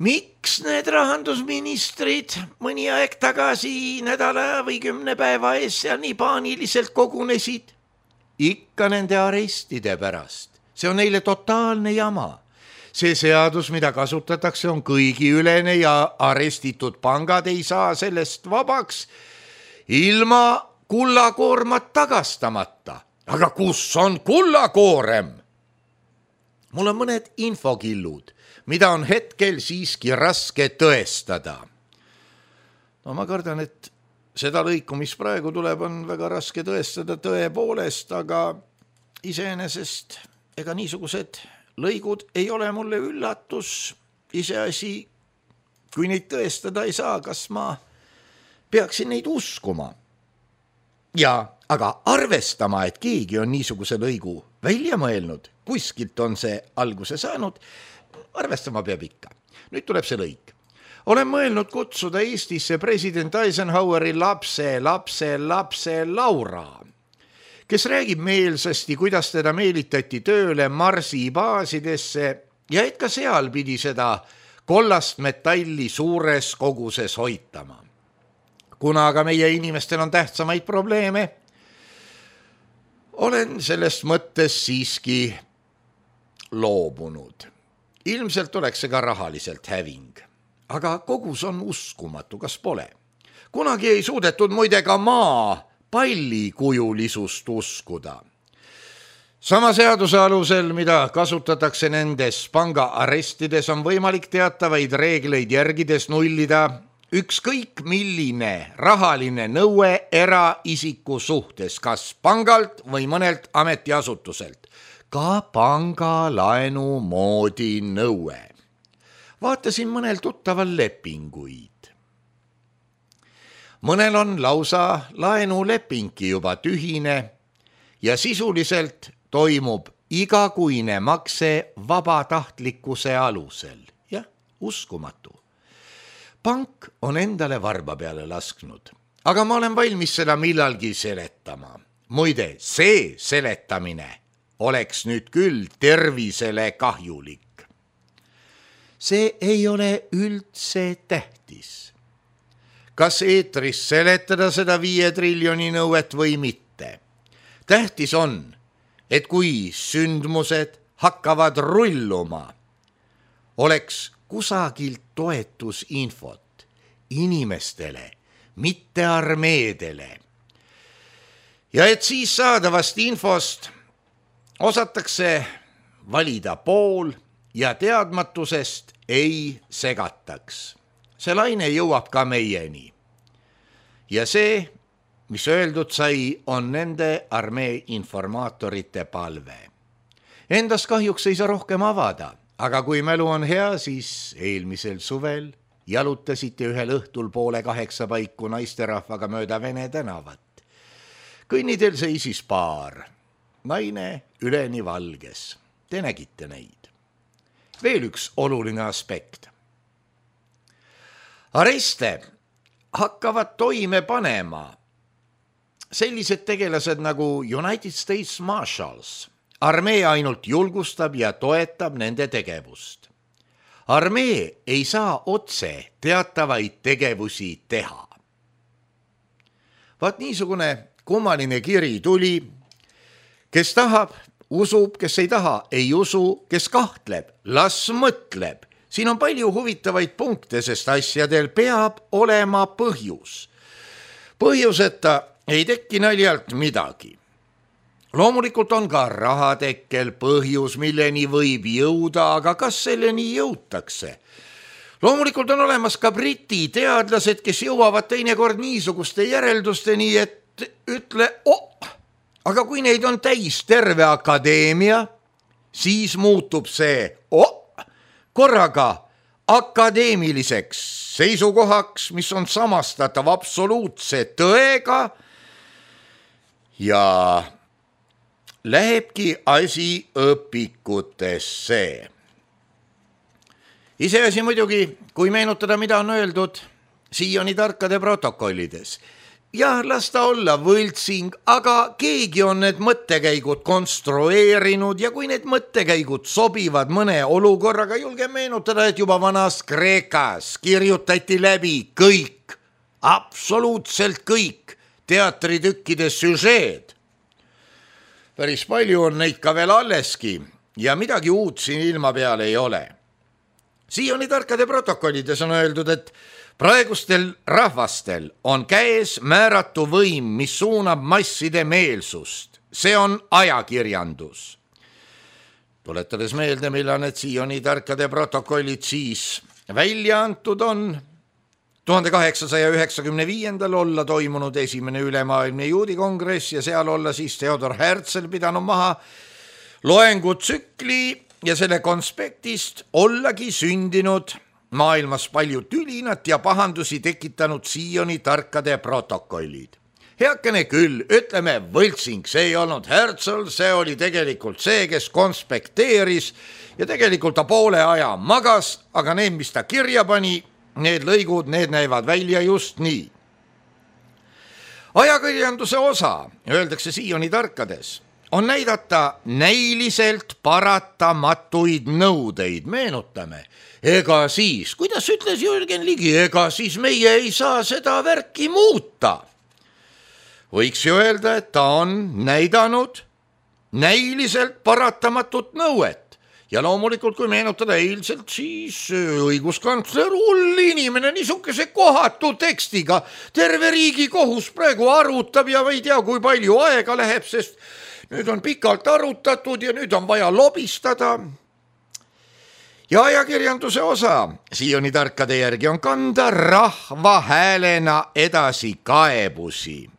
Miks need rahandusministrid mõni aeg tagasi nädala või kümne päeva ees seal nii paaniliselt kogunesid? Ikka nende arestide pärast. See on neile totaalne jama. See seadus, mida kasutatakse, on kõigi ülene ja arestitud pangad ei saa sellest vabaks ilma kullakoormat tagastamata. Aga kus on kullakoorem? Mul on mõned infokillud, mida on hetkel siiski raske tõestada. No ma kardan, et seda lõiku, mis praegu tuleb, on väga raske tõestada tõepoolest, aga iseenesest ega niisugused lõigud ei ole mulle üllatus. Iseasi, kui neid tõestada ei saa, kas ma peaksin neid uskuma. Ja, aga arvestama, et keegi on niisuguse lõigu välja mõelnud, kuskilt on see alguse saanud, arvestama peab ikka. Nüüd tuleb see lõik. Olen mõelnud kutsuda Eestisse president Eisenhoweri lapse, lapse, lapse Laura, kes räägib meelsasti, kuidas teda meelitati tööle Marsi baasidesse ja et ka seal pidi seda kollast metalli suures koguses hoitama. Kuna aga meie inimestel on tähtsamaid probleeme, olen sellest mõttes siiski loobunud. Ilmselt oleks see ka rahaliselt häving, aga kogus on uskumatu, kas pole. Kunagi ei suudetud muide ka maa pallikujulisust uskuda. Sama seaduse alusel, mida kasutatakse nendes panga arestides, on võimalik teatavaid reegleid järgides nullida ükskõik milline rahaline nõue eraisiku suhtes, kas pangalt või mõnelt ametiasutuselt. Ka pangalaenu moodi nõue. Vaatasin mõnel tuttaval lepinguid. Mõnel on lausa laenulepingi juba tühine ja sisuliselt toimub igakuine makse vabatahtlikkuse alusel. Jah, uskumatu. Pank on endale varba peale lasknud, aga ma olen valmis seda millalgi seletama. Muide, see seletamine oleks nüüd küll tervisele kahjulik. See ei ole üldse tähtis. Kas eetris seletada seda viie triljoni nõuet või mitte? Tähtis on, et kui sündmused hakkavad rulluma, oleks kusagilt toetusinfot inimestele, mitte armeedele. Ja et siis saadavast infost osatakse valida pool ja teadmatusest ei segataks. See laine jõuab ka meieni. Ja see, mis öeldud sai, on nende armee informaatorite palve. Endast kahjuks ei saa rohkem avada. Aga kui mälu on hea, siis eelmisel suvel jalutasite ühel õhtul poole kaheksa paiku naisterahvaga mööda Vene tänavat. Kõnnidel seisis paar, naine üleni valges. Te nägite neid. Veel üks oluline aspekt. Areste hakkavad toime panema sellised tegelased nagu United States Marshals. Armee ainult julgustab ja toetab nende tegevust. Armee ei saa otse teatavaid tegevusi teha. Vaat niisugune kummaline kiri tuli, kes tahab, usub, kes ei taha, ei usu, kes kahtleb, las mõtleb. Siin on palju huvitavaid punkte, sest asjadel peab olema põhjus. Põhjuseta ei teki naljalt midagi. Loomulikult on ka rahatekkel põhjus, milleni võib jõuda, aga kas selleni jõutakse? loomulikult on olemas ka briti teadlased, kes jõuavad teinekord niisuguste järeldusteni, et ütle, oh, aga kui neid on täis terve akadeemia, siis muutub see oh, korraga akadeemiliseks seisukohaks, mis on samastatav absoluutse tõega ja lähebki asi õpikutesse. Iseasi muidugi, kui meenutada, mida on öeldud siiani tarkade protokollides. Jah, las ta olla võltsing, aga keegi on need mõttekäigud konstrueerinud ja kui need mõttekäigud sobivad mõne olukorraga, julge meenutada, et juba vanas Kreekas kirjutati läbi kõik, absoluutselt kõik teatritükkide süžeed. Päris palju on neid ka veel alleski ja midagi uut siin ilma peal ei ole. Siiani tarkade protokollides on öeldud, et praegustel rahvastel on käes määratu võim, mis suunab masside meelsust. See on ajakirjandus. Tuletades meelde, millal need siiani tarkade protokollid siis välja antud on, tuhande kaheksasaja üheksakümne viiendal olla toimunud esimene ülemaailmne juudikongress ja seal olla siis Theodor Herzl pidanud maha loengutsükli ja selle konspektist ollagi sündinud maailmas palju tülinat ja pahandusi tekitanud siiani tarkade protokollid. Heakene küll, ütleme võltsing, see ei olnud Herzl, see oli tegelikult see, kes konspekteeris ja tegelikult ta poole aja magas, aga need, mis ta kirja pani, need lõigud, need näivad välja just nii. Ajakirjanduse osa, öeldakse siiani tarkades, on näidata näiliselt paratamatuid nõudeid, meenutame. Ega siis, kuidas ütles Jürgen Ligi, ega siis meie ei saa seda värki muuta. Võiks ju öelda, et ta on näidanud näiliselt paratamatut nõuet. Ja loomulikult, kui meenutada eilselt, siis õiguskantsler hull inimene niisuguse kohatu tekstiga. Terve riigi kohus praegu arutab ja ei tea, kui palju aega läheb, sest nüüd on pikalt arutatud ja nüüd on vaja lobistada. Ja ajakirjanduse osa siiani tarkade järgi on kanda rahva häälena edasi kaebusi.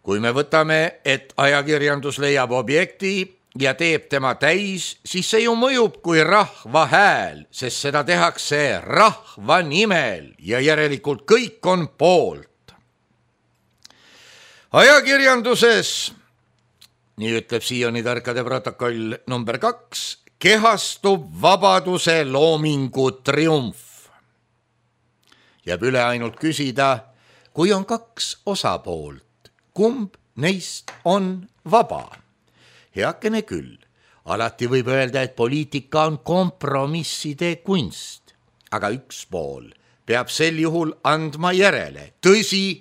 Kui me võtame, et ajakirjandus leiab objekti ja teeb tema täis, siis see ju mõjub kui rahva hääl, sest seda tehakse rahva nimel ja järelikult kõik on poolt. Ajakirjanduses, nii ütleb siiani tarkade protokoll number kaks, kehastub vabaduse loomingu triumf. Jääb üle ainult küsida, kui on kaks osapoolt, kumb neist on vaba? Heakene küll, alati võib öelda, et poliitika on kompromisside kunst, aga üks pool peab sel juhul andma järele. Tõsi,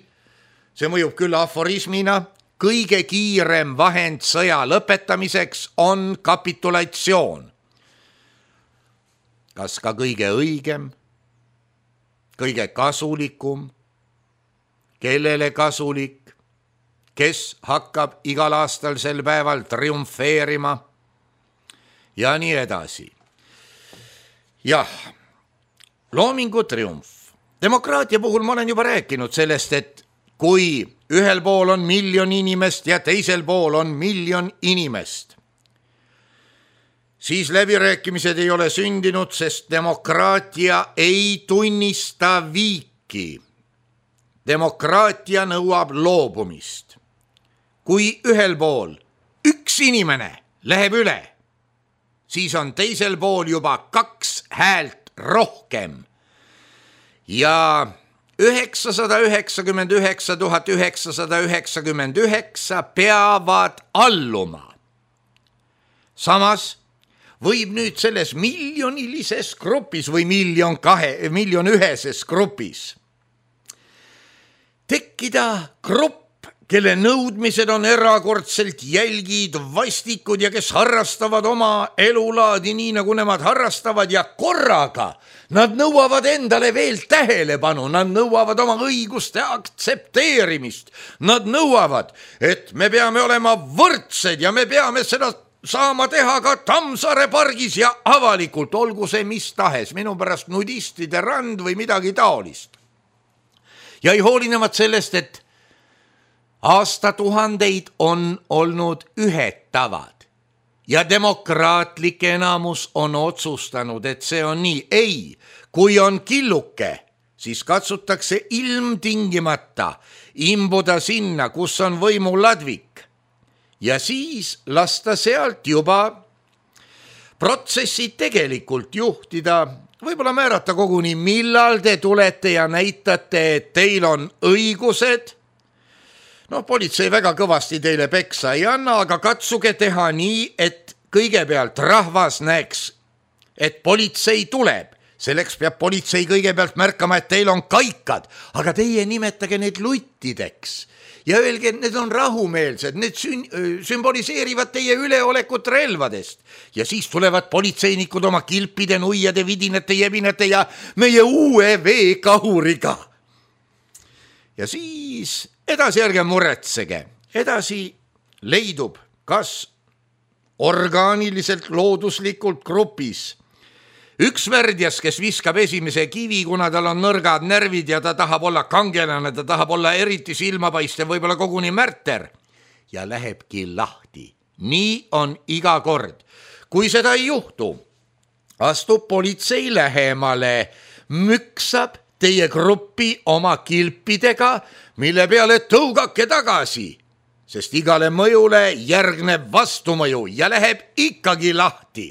see mõjub küll aforismina, kõige kiirem vahend sõja lõpetamiseks on kapitulatsioon. Kas ka kõige õigem, kõige kasulikum, kellele kasulik, kes hakkab igal aastal sel päeval triumfeerima ja nii edasi. Jah, loomingu triumf. Demokraatia puhul ma olen juba rääkinud sellest, et kui ühel pool on miljon inimest ja teisel pool on miljon inimest, siis läbirääkimised ei ole sündinud, sest demokraatia ei tunnista viiki. Demokraatia nõuab loobumist. Kui ühel pool üks inimene läheb üle, siis on teisel pool juba kaks häält rohkem. Ja üheksasada üheksakümmend üheksa tuhat üheksasada üheksakümmend üheksa peavad alluma. Samas võib nüüd selles miljonilises grupis või miljon, kahe, miljon üheses grupis tekkida grupp, kelle nõudmised on erakordselt jälgid, vastikud ja kes harrastavad oma elulaadi nii, nagu nemad harrastavad ja korraga nad nõuavad endale veel tähelepanu, nad nõuavad oma õiguste aktsepteerimist, nad nõuavad, et me peame olema võrdsed ja me peame seda saama teha ka Tammsaare pargis ja avalikult, olgu see mis tahes, minu pärast nudistide rand või midagi taolist. Ja ei hoolinevat sellest, et aastatuhandeid on olnud ühed tavad ja demokraatlik enamus on otsustanud, et see on nii. Ei, kui on killuke, siis katsutakse ilmtingimata imbuda sinna, kus on võimu ladvik. Ja siis lasta sealt juba protsessi tegelikult juhtida, võib-olla määrata koguni, millal te tulete ja näitate, et teil on õigused. No politsei väga kõvasti teile peksa ei anna, aga katsuge teha nii, et kõigepealt rahvas näeks, et politsei tuleb. Selleks peab politsei kõigepealt märkama, et teil on kaikad, aga teie nimetage need luttideks. Ja öelge, et need on rahumeelsed, need sün- sümboliseerivad teie üleolekut relvadest. Ja siis tulevad politseinikud oma kilpide, nuiade, vidinete, jebinete ja meie uue veekahuriga. Ja siis edasi ärge muretsege. Edasi leidub kas orgaaniliselt, looduslikult grupis üks värdjas, kes viskab esimese kivi, kuna tal on nõrgad närvid ja ta tahab olla kangelane, ta tahab olla eriti silmapaistev, võib-olla koguni märter ja lähebki lahti. Nii on iga kord. Kui seda ei juhtu, astub politsei lähemale, müksab teie gruppi oma kilpidega, mille peale tõugake tagasi, sest igale mõjule järgneb vastumõju ja läheb ikkagi lahti.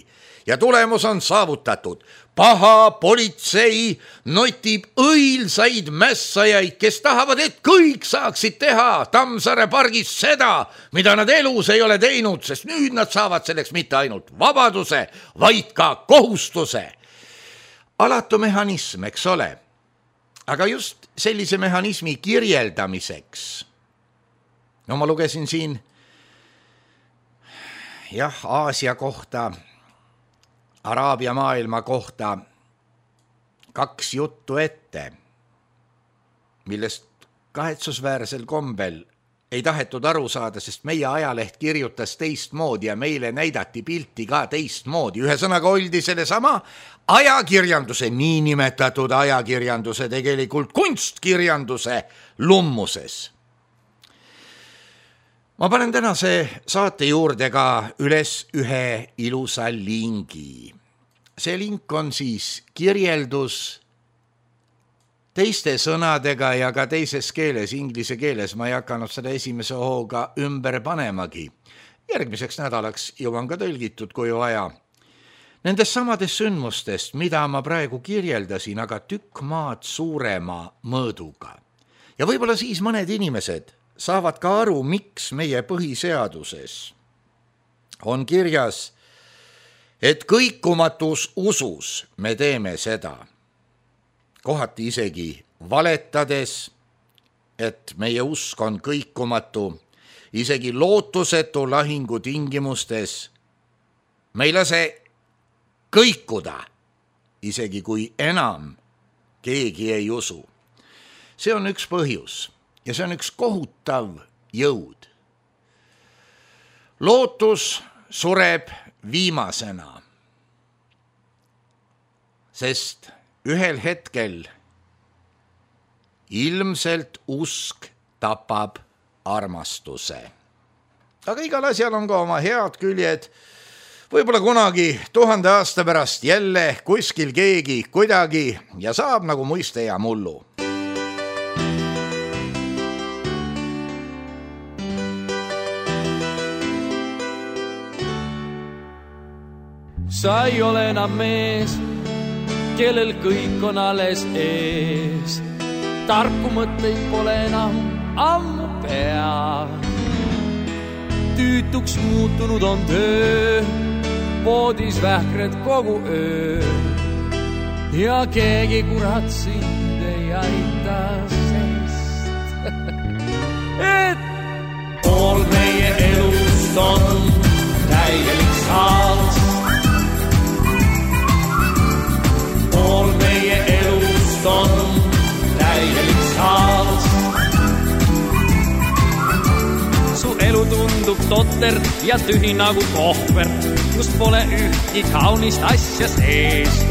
Ja tulemus on saavutatud. Paha politsei notib õilsaid mässajaid, kes tahavad, et kõik saaksid teha Tammsaare pargis seda, mida nad elus ei ole teinud, sest nüüd nad saavad selleks mitte ainult vabaduse, vaid ka kohustuse. Alatu mehhanism, eks ole. Aga just sellise mehhanismi kirjeldamiseks. No ma lugesin siin jah, Aasia kohta, Araabia maailma kohta kaks juttu ette, millest kahetsusväärsel kombel ei tahetud aru saada, sest meie ajaleht kirjutas teistmoodi ja meile näidati pilti ka teistmoodi. Ühesõnaga oldi selle sama ajakirjanduse, niinimetatud ajakirjanduse, tegelikult kunstkirjanduse lummuses. Ma panen tänase saate juurde ka üles ühe ilusa lingi. See link on siis kirjeldus teiste sõnadega ja ka teises keeles, inglise keeles. Ma ei hakanud seda esimese hooga ümber panemagi. Järgmiseks nädalaks jõuan ka tõlgitud, kui vaja. Nendest samadest sündmustest, mida ma praegu kirjeldasin, aga tükk maad suurema mõõduga. Ja võib-olla siis mõned inimesed saavad ka aru, miks meie põhiseaduses on kirjas, et kõikumatus usus me teeme seda. Kohati isegi valetades, et meie usk on kõikumatu, isegi lootusetu lahingu tingimustes. Me ei lase kõikuda, isegi kui enam keegi ei usu. See on üks põhjus. Ja see on üks kohutav jõud. Lootus sureb viimasena, sest ühel hetkel ilmselt usk tapab armastuse. Aga igal asjal on ka oma head küljed. Võib-olla kunagi tuhande aasta pärast jälle kuskil keegi kuidagi ja saab nagu muiste ja mullu. Sa ei ole enam mees, kellel kõik on alles ees. Tarku mõtteid pole enam ammu pea. Tüütuks muutunud on töö, voodis vähkred kogu öö. Ja keegi kurat sind ei aita, sest et pool meie elust on täielik saals. Pool meie elust on täielik saals. Su elu tundub tot muster ja tühi nagu kohver, kus pole ühtki kaunist asja sees.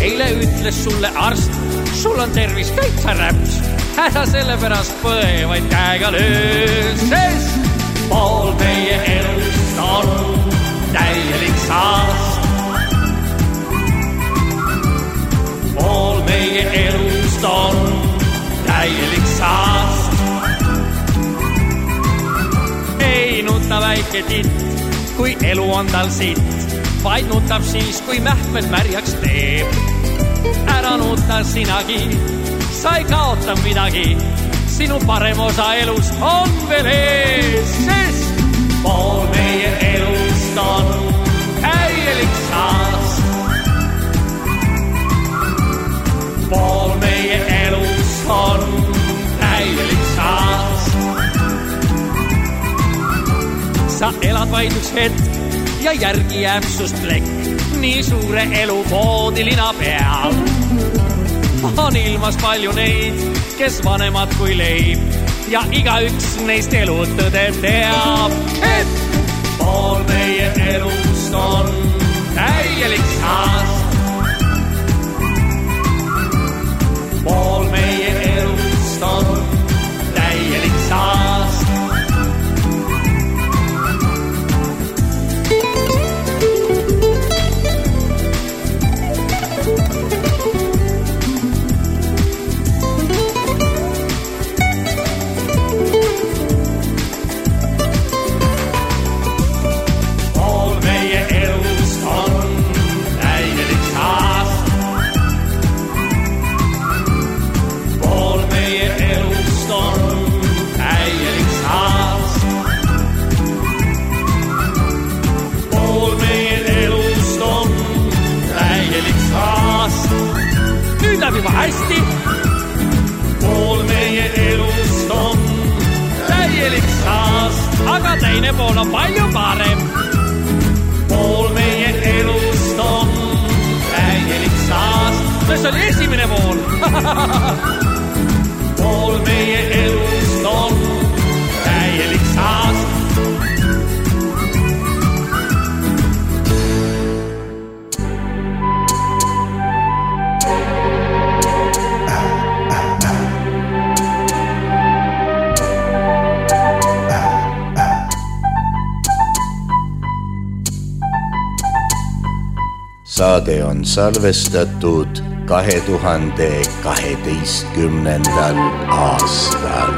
Eile ütles sulle arst, sul on tervis täitsa räps, häda selle pärast põe vaid käega löös, sest pool meie elust on täielik saast. Pool meie elust on täielik saast. Ei nuta väike titt, kui elu on tal sitt, vaid nutab siis, kui mähmed märjaks teeb. Ära nuta sinagi, sa ei kaota midagi, sinu parem osa elust on veel ees, sest pool meie elust on täielik saast. Pool meie elust on täielik saast. Sa elad vaid üks hetk ja järgi jääb sust plekk, nii suure elu voodilina peal. On ilmas palju neid, kes vanemad kui leib, ja igaüks neist elutõde teab, et pool meie elust on täielik saast. Pool meie elust on täielik saast. Läheb juba hästi. Pool meie elust on täielik saast, aga teine pool on palju parem. Pool meie elust on täielik saast. See oli esimene pool. Pool meie elust on täielik saast. Saade on salvestatud kahe tuhande kaheteistkümnendal aastal.